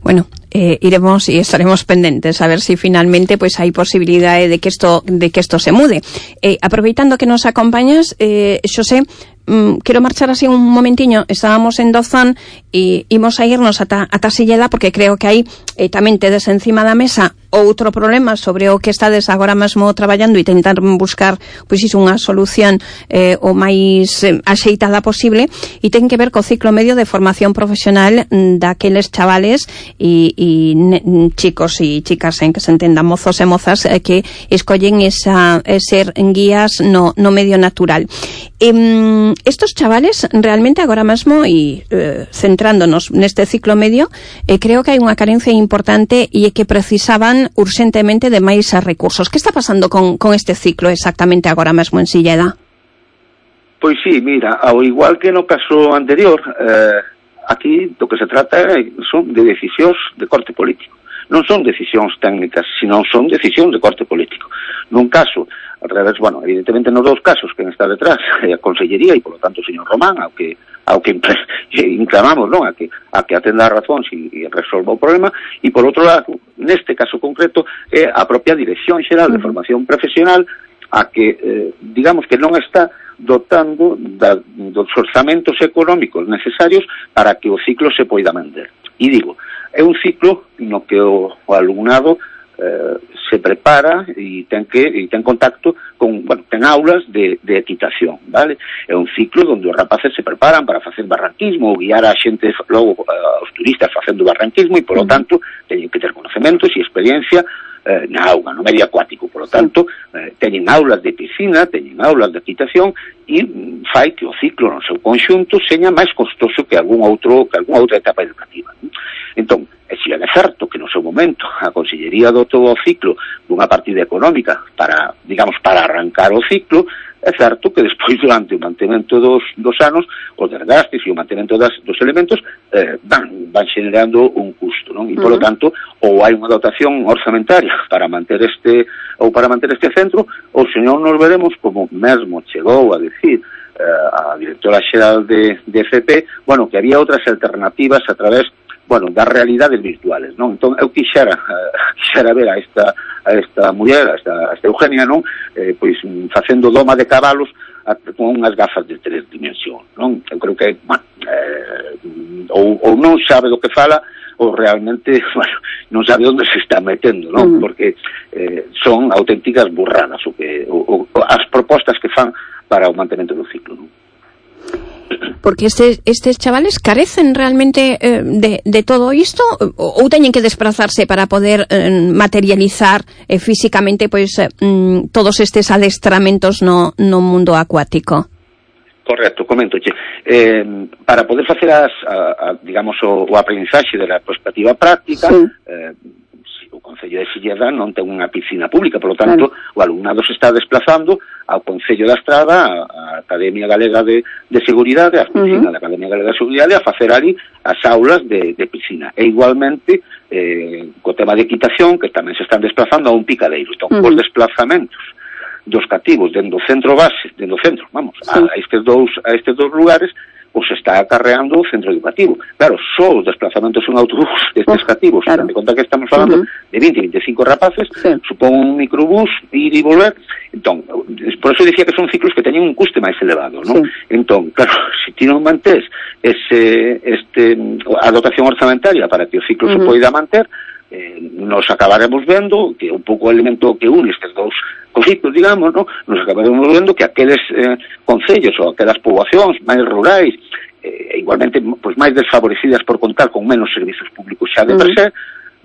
D: Bueno, eh, iremos y estaremos pendientes a ver si finalmente pues hay posibilidad de que esto de que esto se mude. Eh, aproveitando que nos acompañas, eh, Xosé, mm, quiero marchar así un momentiño. Estábamos en Dozán e imos a irnos ata, ata Silleda, porque creo que aí eh, tamén tedes encima da mesa outro problema sobre o que estades agora mesmo traballando e tentar buscar pois iso unha solución eh, o máis eh, axeitada posible, e ten que ver co ciclo medio de formación profesional daqueles chavales e, e chicos e chicas, en que se entenda, mozos e mozas eh, que escollen esa eh, ser guías no, no medio natural. Eh, estos chavales realmente agora mesmo, e eh, centrándonos neste ciclo medio, eh, creo que hai unha carencia importante e é que precisaban urgentemente de máis recursos. Que está pasando con, con este ciclo exactamente agora mesmo en Silleda?
I: Pois sí, mira, ao igual que no caso anterior, eh, aquí do que se trata son de decisións de corte político. Non son decisións técnicas, sino son decisións de corte político. Nun caso, al revés, bueno, evidentemente nos dous casos que está detrás é a Consellería e, polo tanto, o señor Román, ao que ao que inclamamos, non, a que a que atenda a razón e resolva o problema, e por outro lado, neste caso concreto, é a propia Dirección Xeral de Formación Profesional a que, eh, digamos que non está dotando da, dos orzamentos económicos necesarios para que o ciclo se poida manter. E digo, é un ciclo no que o, o alumnado eh, se prepara e ten que e ten contacto con, bueno, ten aulas de, de equitación, vale? É un ciclo onde os rapaces se preparan para facer barranquismo ou guiar a xente, logo aos turistas facendo barranquismo, e, polo tanto, teñen que ter conecementos e experiencia eh, na auga, no medio acuático. Por lo tanto, eh, teñen aulas de piscina, teñen aulas de equitación, e mm, fai que o ciclo no seu conxunto seña máis costoso que algún outro que algunha outra etapa educativa. Entón, e se é certo que no seu momento a Consellería dotou o ciclo dunha partida económica para, digamos, para arrancar o ciclo, é certo que despois, durante o mantemento dos, dos anos, os desgastes e o mantemento das, dos elementos eh, van, van generando un custo, non? E, polo tanto, ou hai unha dotación orzamentaria para manter este ou para manter este centro, ou senón nos veremos, como mesmo chegou a decir eh, a directora xeral de, de F P, bueno, que había outras alternativas a través, bueno, das realidades virtuales, non? Entón, eu quixera, uh, quixera ver a esta, a esta muller, a esta, a esta Eugenia, non? Eh, pois, facendo doma de cabalos a, con unhas gafas de tres dimensións, non? Eu creo que, bueno, eh, ou, ou non sabe do que fala, ou realmente, bueno, non sabe onde se está metendo, non? Mm. Porque eh, son auténticas burradas o que, o, o, as propostas que fan para o mantemento do ciclo, non?
D: Porque este, estes chavales carecen realmente eh, de, de todo isto, ou, ou teñen que desplazarse para poder eh, materializar eh, físicamente pois eh, todos estes adestramentos no, no mundo acuático?
I: Correcto, coméntoche. Eh, para poder facer as, a, a, digamos, o, o aprendizaxe de la perspectiva práctica, sí. eh, o Concello de Silleda non ten unha piscina pública, por lo tanto, claro, o alumnado se está desplazando ao Concello da Estrada, a Academia Galega de, de Seguridade, a piscina uh -huh. da Academia Galega de Seguridade, a facer ali as aulas de, de piscina. E igualmente, eh, co tema de equitación, que tamén se están desplazando a un picadeiro. Entón, uh -huh. os desplazamentos dos cativos dentro do centro base, dentro do centro, vamos, sí. a, a estes dous a estes dous lugares, os está acarreando o centro educativo. Claro, só os desplazamentos en autobús destes cativos, claro, de conta que estamos falando uh -huh. de vinte, veinticinco rapaces, sí. supón un microbús, ir e volver. Entón, por eso dicía que son ciclos que teñen un custe máis elevado, non? Sí. Entón, claro, se ti non mantés ese, este, a dotación orzamentaria para que o ciclo uh -huh. se poida manter, eh, nos acabaremos vendo que un pouco o elemento que une estes dous conflitos, digamos, ¿no? Nos acabaremos vendo que aqueles eh, concellos ou aquelas poboacións máis rurais, eh, igualmente pues, máis desfavorecidas por contar con menos servizos públicos xa de per se,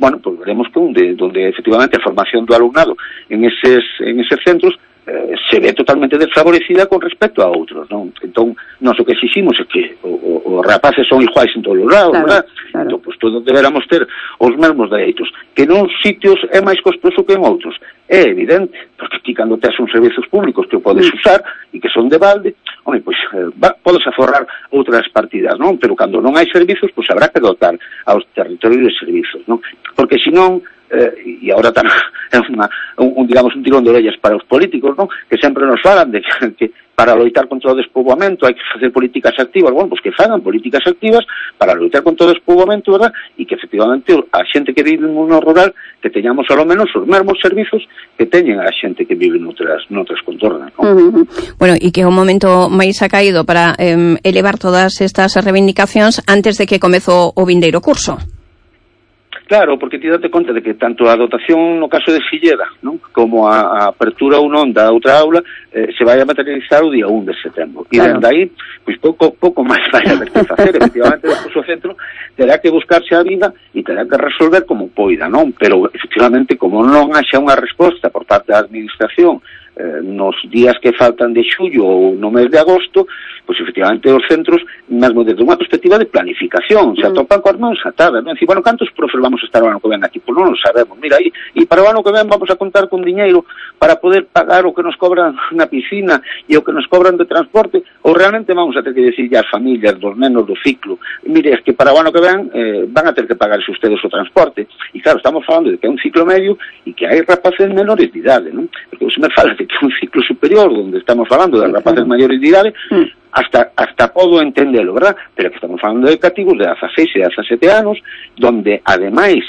I: bueno, pues veremos que onde, donde efectivamente a formación do alumnado en eses, en eses centros eh, se ve totalmente desfavorecida con respecto a outros, non? Entón, nós o que exiximos é que os rapaces son iguais en todos os lados, claro, verdad? Claro. Entón, pues, todos deberamos ter os mesmos dereitos. Que nun sitios é máis costoso que en outros. É evidente, porque ti cando tes uns servizos públicos que o podes mm. usar e que son de balde, home, pois, eh, va, podes aforrar outras partidas, non? Pero cando non hai servizos, pois habrá que dotar aos territorios de servizos, non? Porque senón, eh, e agora tan, é unha, un, un, digamos, un tirón de orellas para os políticos, non? Que sempre nos falan de que, que para loitar contra o despoboamento hai que facer políticas activas. Bueno, pois que fagan políticas activas para loitar contra o despoboamento, verdad? E que efectivamente a xente que vive no mundo rural que teñamos ao menos os mesmos servizos que teñen a xente que vive noutras, noutras contornas, non?
D: Uh-huh. Bueno, e que é un momento máis acaído para eh, elevar todas estas reivindicacións antes de que comezou o vindeiro curso.
I: Claro, porque ti date conta de que tanto a dotación no caso de Silleda, non? Como a, a apertura ou non da outra aula eh, se vai a materializar o día un de setembro. E claro, dende aí, pois pouco pouco máis vai a haber que facer. Efectivamente, despois o centro terá que buscarse a vida e terá que resolver como poida, non? Pero, efectivamente, como non haxa unha resposta por parte da administración eh, nos días que faltan de xullo ou no mes de agosto, pois efectivamente os centros, mesmo desde unha perspectiva de planificación, se atopan coas mãos atadas, non? Dicir, bueno, cantos profes vamos a estar o ano que ven aquí? Pois non o sabemos. Mira, e, e para o ano que ven vamos a contar con diñeiro para poder pagar o que nos cobran na piscina e o que nos cobran de transporte, ou realmente vamos a ter que decir as familias dos nenos do ciclo, mire, es que para o ano que ven eh, van a ter que pagarse ustedes o transporte. E claro, estamos falando de que é un ciclo medio e que hai rapaces menores de idade, non? Porque se me fala de que é un ciclo superior, onde estamos falando de rapaces maiores de idade, mm. hasta hasta podo entendelo, verdad? Pero que estamos falando de cativos de dezaseis e dezasete anos, donde ademais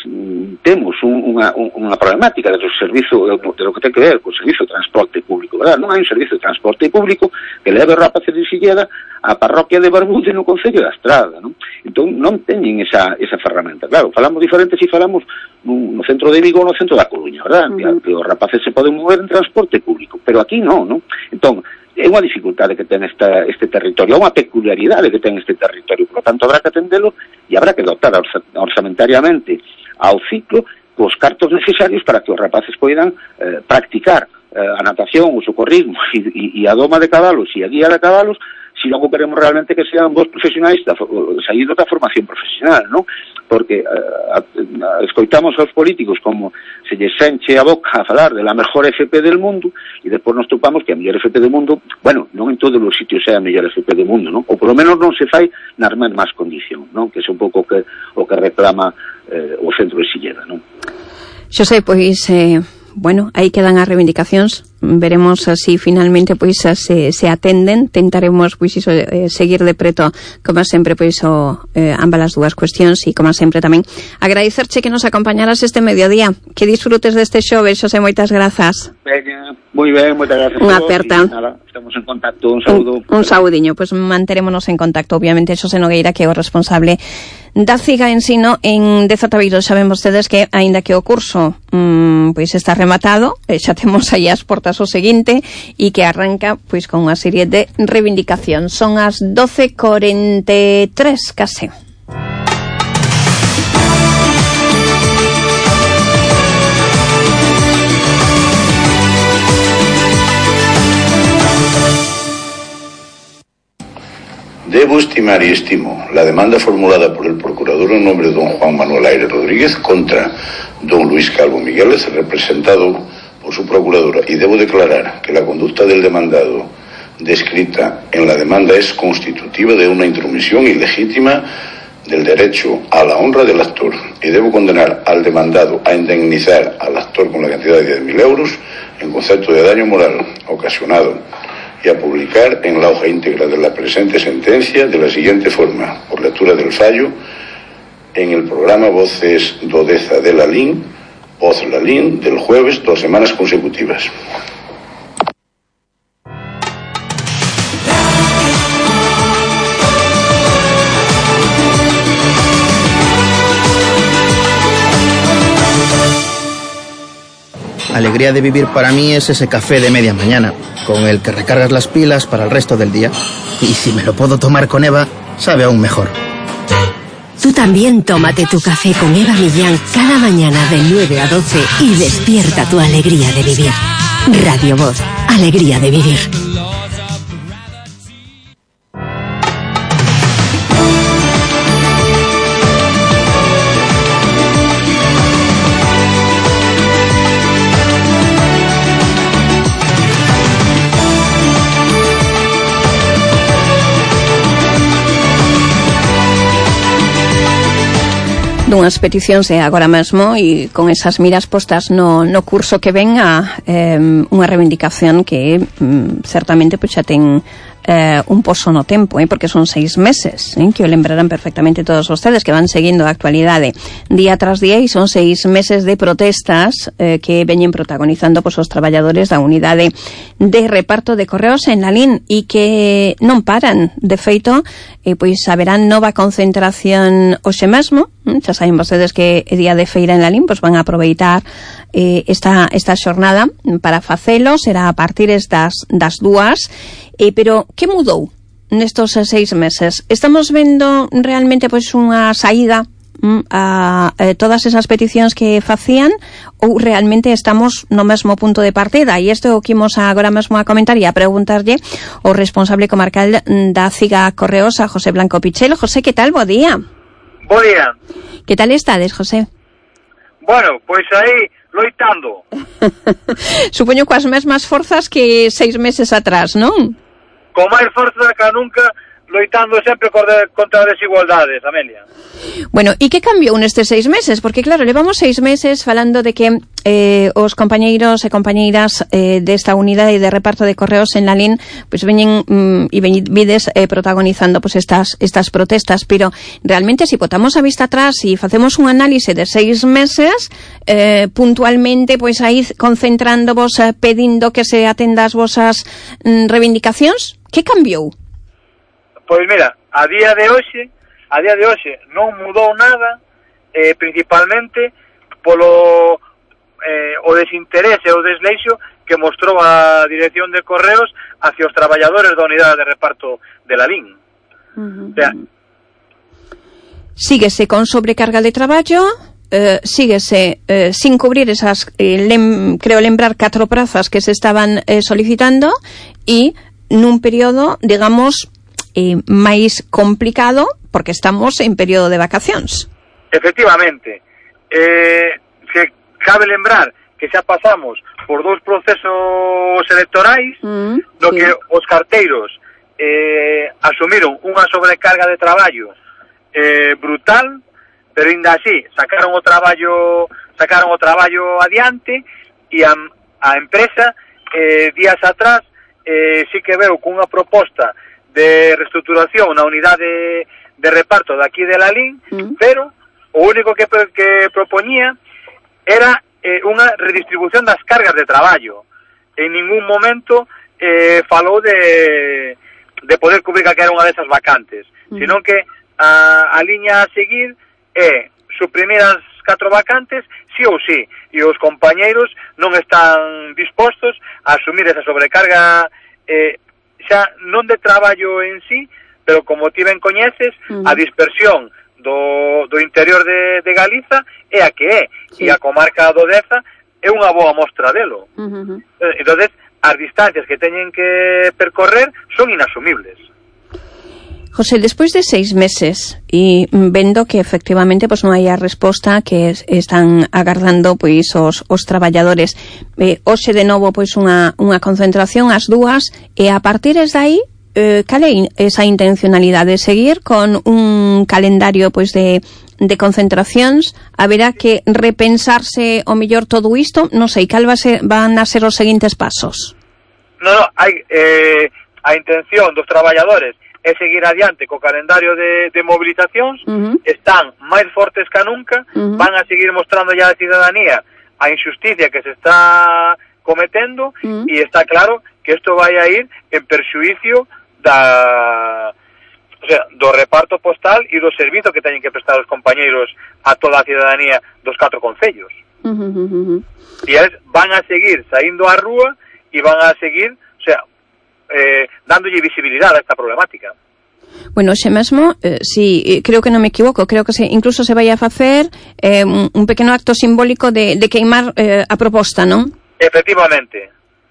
I: temos un, unha, unha problemática do servizo, de lo que ten que ver co servizo de transporte público, verdad? Non hai un servizo de transporte público que leve rapaces de Silleda a parroquia de Barbude no Concello da Estrada, non? Entón non teñen esa, esa ferramenta. Claro, falamos diferentes se falamos no centro de Vigo ou no centro da Coruña, verdad? Uh-huh. Que, que os rapaces se poden mover en transporte público, pero aquí non, non? Entón, é unha dificultade que ten esta, este territorio, é unha peculiaridade que ten este territorio, por lo tanto habrá que atendelo e habrá que dotar orzamentariamente ao ciclo cos cartos necesarios para que os rapaces poidan eh, practicar eh, a natación, o socorrismo e, e, e a doma de cabalos e a guía de cabalos, si logo queremos realmente que sean vos profesionais da, saídos da formación profesional, non? Porque uh, a, a, escoitamos aos políticos como se lles enche a boca a falar de la mejor F P del mundo e depois nos topamos que a mellor F P del mundo, bueno, non en todos os sitios é a mellor F P del mundo, non? Ou polo menos non se fai nas mesmas condicións, non? Que é un pouco que, o que reclama eh, o centro de Silleda, non?
D: Xosé, pois, eh, bueno, aí quedan as reivindicacións. Veremos así finalmente pois se, se atenden. Tentaremos pois iso eh, seguir de preto como sempre pois o, eh, ambas as dúas cuestións e como sempre tamén agradecerche que nos acompañaras este mediodía. Que disfrutes deste xoves, Xosé, moitas grazas.
I: Veña, moi ben, moitas grazas.
D: Unha aperta.
I: Nada, estamos en contacto, un saúdo.
D: Un, un saudiño, pois pues manterémonos en contacto. Obviamente Xosé Nogueira, que é o responsable da CIGA Ensino en Dezotabeiro. Saben vostedes que aínda que o curso mmm, pois está rematado, eh, xa temos aí as portas o seguinte e que arranca pois con unha serie de reivindicacións. Son as doce corenta e tres case.
J: Debo estimar y estimo la demanda formulada por el procurador en nombre de don Juan Manuel Aire Rodríguez contra don Luis Calvo Migueles, representado por su procuradora, y debo declarar que la conducta del demandado descrita en la demanda es constitutiva de una intromisión ilegítima del derecho a la honra del actor, y debo condenar al demandado a indemnizar al actor con la cantidad de diez mil euros en concepto de daño moral ocasionado y a publicar en la hoja íntegra de la presente sentencia de la siguiente forma, por lectura del fallo, en el programa Voces Dodeza de la L I N, Voz la L I N, del jueves, dos semanas consecutivas.
K: Alegría de vivir para mí es ese café de media mañana, con el que recargas las pilas para el resto del día. Y si me lo puedo tomar con Eva, sabe aún mejor.
A: Tú también tómate tu café con Eva Millán cada mañana de nueve a doce y despierta tu alegría de vivir. Radio Voz, alegría de vivir.
D: Dunhas peticións e agora mesmo e con esas miras postas no, no curso que ven a eh, unha reivindicación que mm, certamente pois xa ten eh, un poso no tempo, eh, porque son seis meses, eh, que o lembrarán perfectamente todos vostedes que van seguindo a actualidade día tras día, e son seis meses de protestas eh, que veñen protagonizando pois, os traballadores da unidade de reparto de correos en Lalín e que non paran. De feito, eh, pois haberán nova concentración hoxe mesmo. Xa saben vostedes que é día de feira en Lalín, pois van a aproveitar eh, esta, esta xornada para facelo, será a partir das, das dúas, eh, pero que mudou nestos seis meses? Estamos vendo realmente pois unha saída mm, a, a todas esas peticións que facían, ou realmente estamos no mesmo punto de partida? E isto é o que imos agora mesmo a comentar e a preguntarlle o responsable comarcal da CIGA Correos, a José Blanco Pichel. José, que tal? Bo día.
L: Bo día.
D: Que tal estades, José?
L: Bueno, pois aí, loitando.
D: Supoño coas mesmas forzas que seis meses atrás, non?
L: Con máis forza que nunca, loitando sempre contra as desigualdades, Amelia.
D: Bueno, e que cambiou nestes seis meses? Porque claro, levamos seis meses falando de que eh, os compañeiros e compañeiras eh, desta unidade de reparto de correos en Lalín pues veñen mm, e ven, vides eh, protagonizando pues estas estas protestas, pero realmente se si botamos a vista atrás e facemos un análise de seis meses eh, puntualmente, pois pues, aí concentrándovos, eh, pedindo que se atenda as vosas mm, reivindicacións, que cambiou?
L: Pois mira, a día de hoxe, a día de hoxe non mudou nada, eh, principalmente polo eh, o desinterese, o desleixo que mostrou a Dirección de Correos hacia os traballadores da unidade de reparto de Lalín. Uh-huh. O sea,
D: síguese con sobrecarga de traballo, eh, síguese eh, sin cubrir esas, eh, lem, creo lembrar, catro prazas que se estaban eh, solicitando, e nun período, digamos, eh, máis complicado porque estamos en período de vacacións.
L: Efectivamente. Eh, que cabe lembrar que xa pasamos por dous procesos electorais mm, no sí. que os carteiros eh, asumiron unha sobrecarga de traballo eh, brutal, pero ainda así sacaron o traballo sacaron o traballo adiante, e a, a empresa eh, días atrás eh, sí que veu cunha proposta de reestructuración na unidade de reparto de aquí de Lalín, mm. pero o único que, que propoñía era eh, unha redistribución das cargas de traballo. En ningún momento eh, falou de, de poder cubrir calquera unha desas vacantes, mm. sino que a, a liña a seguir é suprimir as catro vacantes sí ou sí, e os compañeiros non están dispostos a asumir esa sobrecarga eh, xa non de traballo en sí, pero como ti ben coñeces, uh-huh. a dispersión do, do interior de, de Galiza é a que é, sí. e a comarca do Deza é unha boa mostra delo. Uh-huh. Entonces, as distancias que teñen que percorrer son inasumibles.
D: José, despois de seis meses e vendo que efectivamente pois non hai a resposta que es, están agardando pois os, os traballadores, eh, hoxe de novo pois unha, unha concentración ás dúas, e a partir de aí eh, cal é esa intencionalidade? Seguir con un calendario pois de, de concentracións? Haberá que repensarse o mellor todo isto? Non sei, cal va a ser, van a ser os seguintes pasos?
L: Non, non, hai eh, a intención dos traballadores é seguir adiante co calendario de, de movilizacións, uh-huh. están máis fortes que nunca, uh-huh. van a seguir mostrando ya a ciudadanía a injusticia que se está cometendo, uh-huh. e está claro que isto vai a ir en perxuicio da, o sea, do reparto postal e do servizo que teñen que prestar os compañeiros a toda a ciudadanía dos catro concellos. Uh-huh, uh-huh. E eles van a seguir saindo á rúa e van a seguir, o sea, eh, dándolle visibilidade a esta problemática.
D: Bueno, xe mesmo, eh, si creo que non me equivoco, creo que se, incluso se vai a facer eh, un, un pequeno acto simbólico de, de queimar eh, a proposta, non?
L: Efectivamente.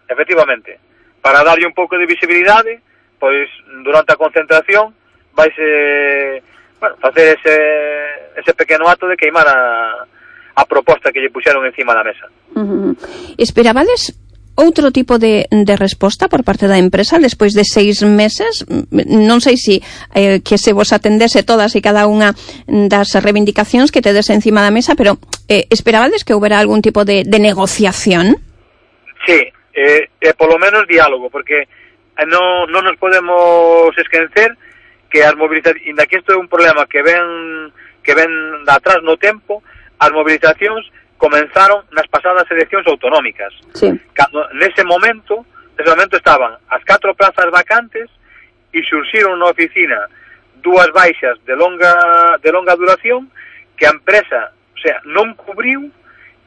L: efectivamente, para darlle un pouco de visibilidade, pois durante a concentración vaise, bueno, facer ese, ese pequeno acto de queimar a, a proposta que lle puxeron encima da mesa.
D: Uh-huh. Esperabades outro tipo de, de resposta por parte da empresa despois de seis meses? Non sei se eh, que se vos atendese todas e cada unha das reivindicacións que tedes encima da mesa, pero eh, esperabades que houbera algún tipo de, de negociación?
L: Sí, eh, eh, polo menos diálogo, porque non, non nos podemos esquecer que as movilizacións, inda que isto é un problema que ven que ven de atrás no tempo, as movilizacións comenzaron nas pasadas eleccións autonómicas.
D: Sí.
L: Cando nese momento, nese momento estaban as catro plazas vacantes e surxiron na oficina dúas baixas de longa de longa duración que a empresa, o sea, non cubriu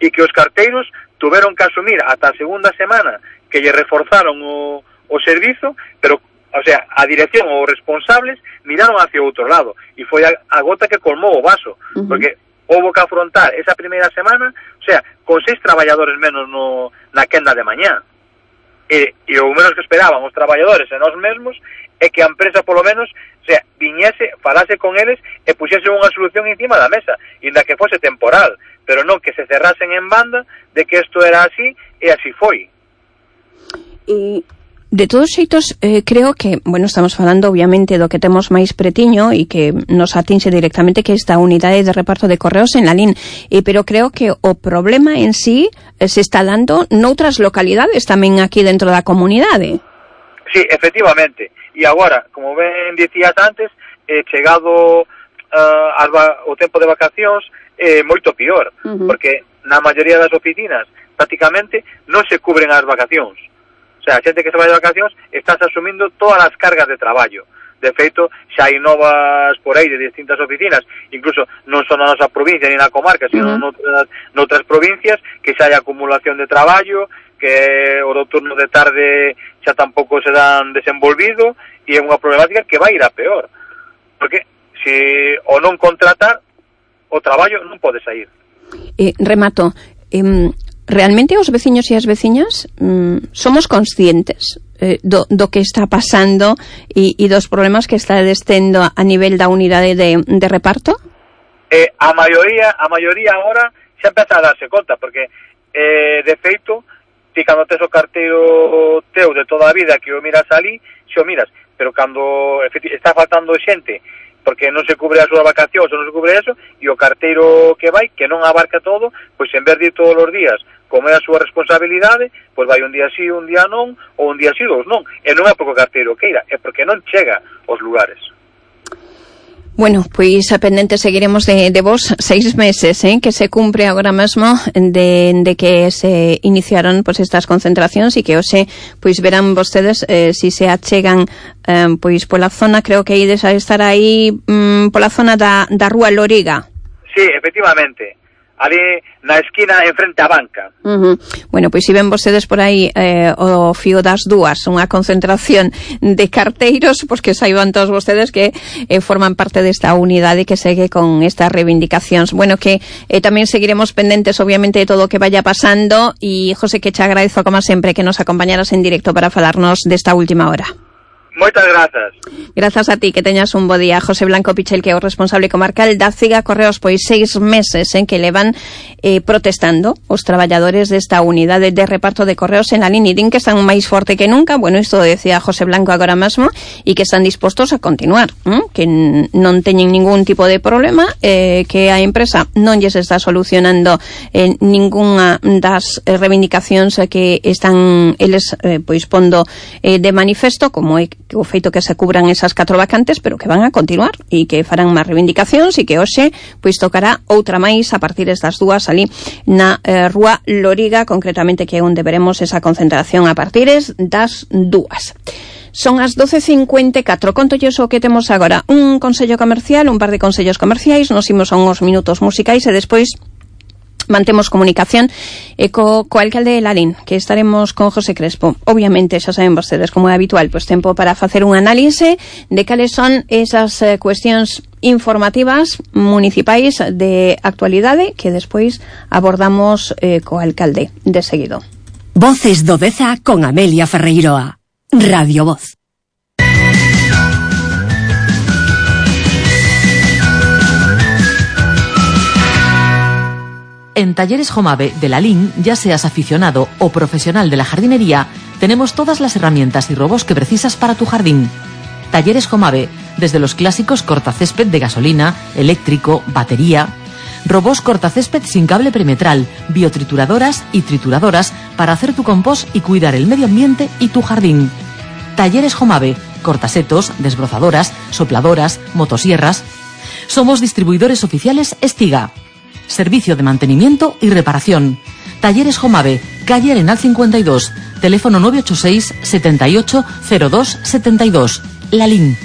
L: e que os carteiros tuveron que asumir ata a segunda semana que lle reforzaron o, o servizo, pero, o sea, a dirección ou os responsables miraron hacia outro lado e foi a, a gota que colmou o vaso, uh-huh. porque houve que afrontar esa primeira semana, o sea, con seis traballadores menos no, na quenda de mañá. E, e o menos que esperaban os traballadores e nós mesmos é que a empresa, polo menos, o sea, viñese, falase con eles e puxese unha solución encima da mesa, inda que fose temporal, pero non que se cerrasen en banda de que isto era así e así foi.
D: E de todos xeitos, eh, creo que, bueno, estamos falando obviamente do que temos máis pretiño e que nos atinxe directamente, que esta unidade de reparto de correos en Lalín, eh, pero creo que o problema en sí eh, se está dando noutras localidades tamén aquí dentro da comunidade.
L: Sí, efectivamente, e agora, como ben dicías antes, eh, chegado uh, alba, o tempo de vacacións, é eh, moito pior, uh-huh. porque na maioría das oficinas prácticamente non se cubren as vacacións. O sea, a xente que se vai de vacacións estás asumindo todas as cargas de traballo. De feito, xa hai novas por aí de distintas oficinas, incluso non son na nosa provincia ni na comarca, sino uh-huh. noutras, noutras provincias, que xa hai acumulación de traballo, que o do turno de tarde xa tampouco se dan desenvolvido, e é unha problemática que vai ir a peor. Porque se o non contratar, o traballo non pode sair.
D: Eh, remato, eh, realmente os veciños e as veciñas mm, somos conscientes eh, do, do que está pasando e, e dos problemas que está destendo a nivel da unidade de, de reparto?
L: Eh, a maioría a maioría agora xa empeza a darse conta, porque eh, de feito, ti cando tes o carteiro teu de toda a vida que o miras ali, xe o miras, pero cando está faltando xente porque non se cubre a súa vacacións ou non se cubre eso, e o carteiro que vai, que non abarca todo, pois en vez de ir todos os días, como é a súa responsabilidade, pois vai un día sí, un día non, ou un día sí, dous non. E non é porque o carteiro queira, é porque non chega aos lugares.
D: Bueno, pois a pendente seguiremos de, de vos seis meses, eh, que se cumpre agora mesmo de, de que se iniciaron pois estas concentracións e que hoxe pois verán vostedes eh, si se achegan eh, pois pola zona, creo que ides a estar aí mm, pola zona da, da Rúa Loriga.
L: Sí, efectivamente. Ali na esquina enfrente á banca.
D: Uh-huh. Bueno, pois si ven vostedes por aí eh, o fío das dúas, unha concentración de carteiros, pois que saiban todos vostedes que eh, forman parte desta unidade que segue con estas reivindicacións. Bueno, que eh, tamén seguiremos pendentes obviamente de todo o que vaya pasando, e José, que che agradezo como sempre que nos acompañaras en directo para falarnos desta última hora.
L: Moitas grazas.
D: Grazas a ti, que teñas un bo día. José Blanco Pichel, que é o responsable comarcal da Ciga Correos, pois seis meses en que levan eh, protestando os traballadores desta unidade de reparto de correos en Lalín, e din que están máis forte que nunca. Bueno, isto decía José Blanco agora mesmo, e que están dispostos a continuar, ¿eh? Que non teñen ningún tipo de problema, eh, que a empresa non lles está solucionando eh, ningunha das eh, reivindicacións que están eles eh, pois pondo eh, de manifesto, como é o feito que se cubran esas catro vacantes, pero que van a continuar e que farán máis reivindicacións, e que hoxe pois tocará outra máis a partir das dúas ali na eh, Rúa Loriga, concretamente, que é onde veremos esa concentración a partir das dúas. Son as doce cincuenta e catro. Contolles o que temos agora. Un consello comercial, un par de consellos comerciais, nos imos a uns minutos musicais e despois mantemos comunicación e co, co alcalde de Lalín, que estaremos con José Crespo. Obviamente, xa saben vostedes, como é habitual, pois tempo para facer un análise de cales son esas eh, cuestións informativas municipais de actualidade que despois abordamos eh, co alcalde de seguido.
A: Voces do Deza con Amelia Ferreiroa. Radio Voz.
M: En Talleres Jomave de Lalín, ya seas aficionado o profesional de la jardinería, tenemos todas las herramientas y robots que precisas para tu jardín. Talleres Jomave, desde los clásicos cortacésped de gasolina, eléctrico, batería, robots cortacésped sin cable perimetral, biotrituradoras y trituradoras para hacer tu compost y cuidar el medio ambiente y tu jardín. Talleres Jomave, cortasetos, desbrozadoras, sopladoras, motosierras. Somos distribuidores oficiales Estiga. Servicio de mantenimiento y reparación. Talleres Jomave, calle Arenal cincuenta y dos, teléfono nueve ocho seis, setenta y ocho, cero dos, setenta y dos. Lalín.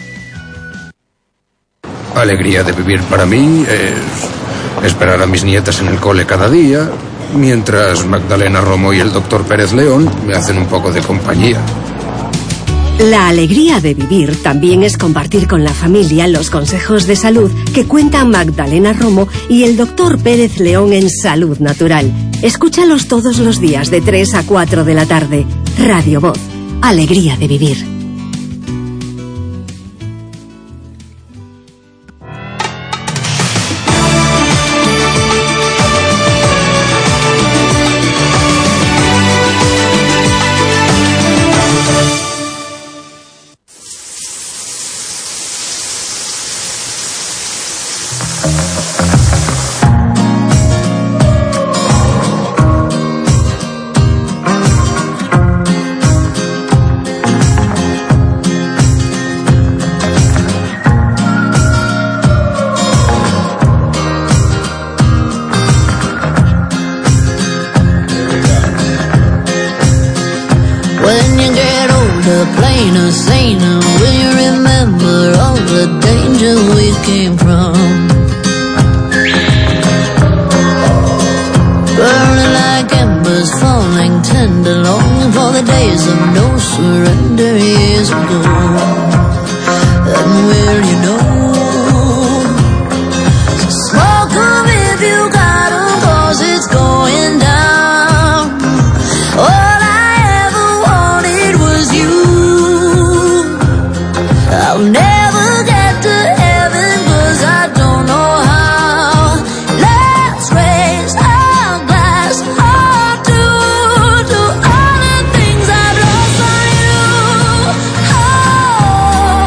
N: Alegría de vivir para mí es esperar a mis nietas en el cole cada día, mientras Magdalena Romo y el doctor Pérez León me hacen un poco de compañía.
A: La alegría de vivir también es compartir con la familia los consejos de salud que cuentan Magdalena Romo y el doctor Pérez León en Salud Natural. Escúchalos todos los días de tres a cuatro de la tarde. Radio Voz. Alegría de vivir.
O: plainer, saner, will you remember all the danger we came from? Burning like embers, falling tender, longing for the days of no surrender years ago. And will you know? So smoke 'em if you got 'em, 'cause it's going down. All I ever wanted was you. I'll never get to heaven 'cause I don't know how. Let's raise our glass or two to all the things I've lost on you. Oh,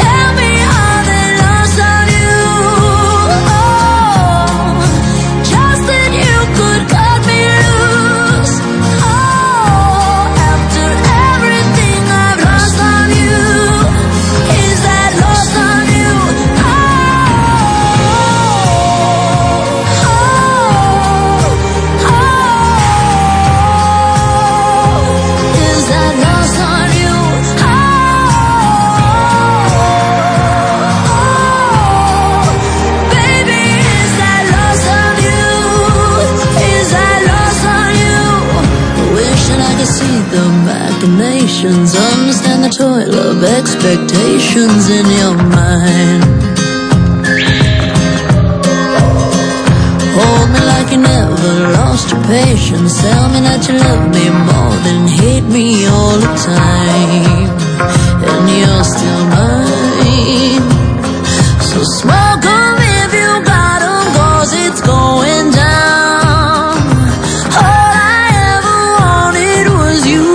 O: tell me how they lost on you. Oh, just that you could cut me loose. Oh, after everything I've lost on you, is that lost on you? Oh, oh, oh, is that lost on you? Oh, baby, is that lost on you? Is that lost on you? Wishing I could see the machinations, understand the toil of expectations in your mind. Hold me like you never lost your patience. Tell me that you love me more than hate me all the time. And you're still mine. So smoke 'em if you got 'em, 'cause it's going down. All I ever wanted was you.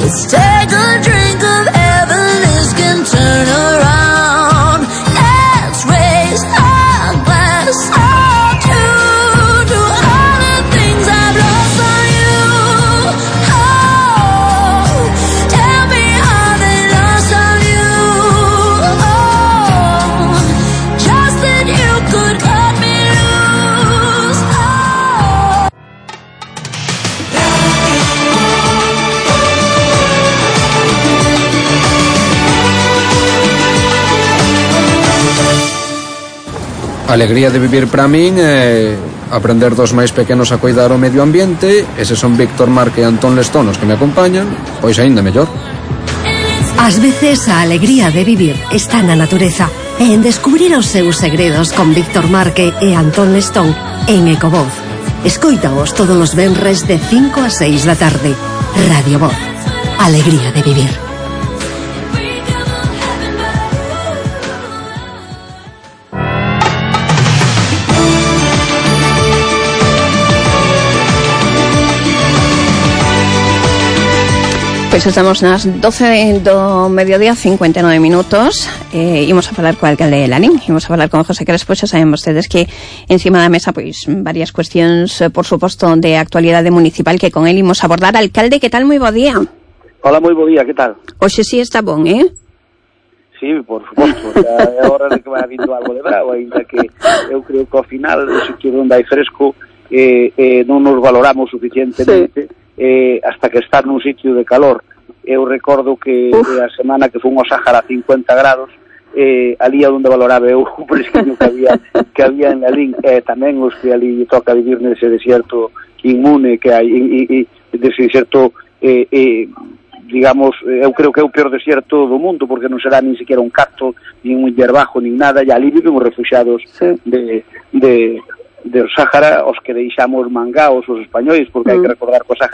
O: Let's take a drink of heaven, this can turn around. Let's raise our glass or two to all the things I've lost on you. Oh, tell me how they lost on you. Oh, just that you could cut me loose. Oh.
N: Alegría de vivir para min é aprender dos máis pequenos a cuidar o medio ambiente. Eses son Víctor Marque e Antón Lestón os que me acompañan. Pois aínda mellor.
A: Ás veces a alegría de vivir está na natureza e en descubrir os seus segredos con Víctor Marque e Antón Lestón en Ecovoz. Escóitaos todos os venres de cinco a seis da tarde. Radio Voz. Alegría de vivir.
D: Pois estamos nas doce do mediodía, cincuenta e nove minutos. eh, Imos a falar co alcalde de Lalín. Imos a falar con José Crespo. Xa saben vostedes que encima da mesa pois varias cuestións, eh, por suposto, de actualidade municipal que con él imos a abordar. Alcalde, que tal? Moi bo día.
P: Hola, moi bo día, que tal?
D: Hoxe sí está bon, eh?
P: Sí, por suposto, é hora de que vai vindo algo de bravo, ainda que eu creo que ao final o sitio onde hai fresco eh, eh, non nos valoramos suficientemente, sí. eh, hasta que estar nun sitio de calor. Eu recordo que eh, a semana que fun ao Sáhara a cincuenta grados, eh, ali é onde valoraba eu o fresquinho que había que había en Lalín, eh, tamén os que ali toca vivir nese desierto inmune que hai, e, e, dese desierto eh, eh, digamos, eu creo que é o peor desierto do mundo, porque non será nin siquiera un cacto, nin un hierbajo, nin nada, e ali viven os refugiados sí. de, de, de Sáhara, os que deixamos mangaos os españois, porque mm. hai que recordar que o Sáhara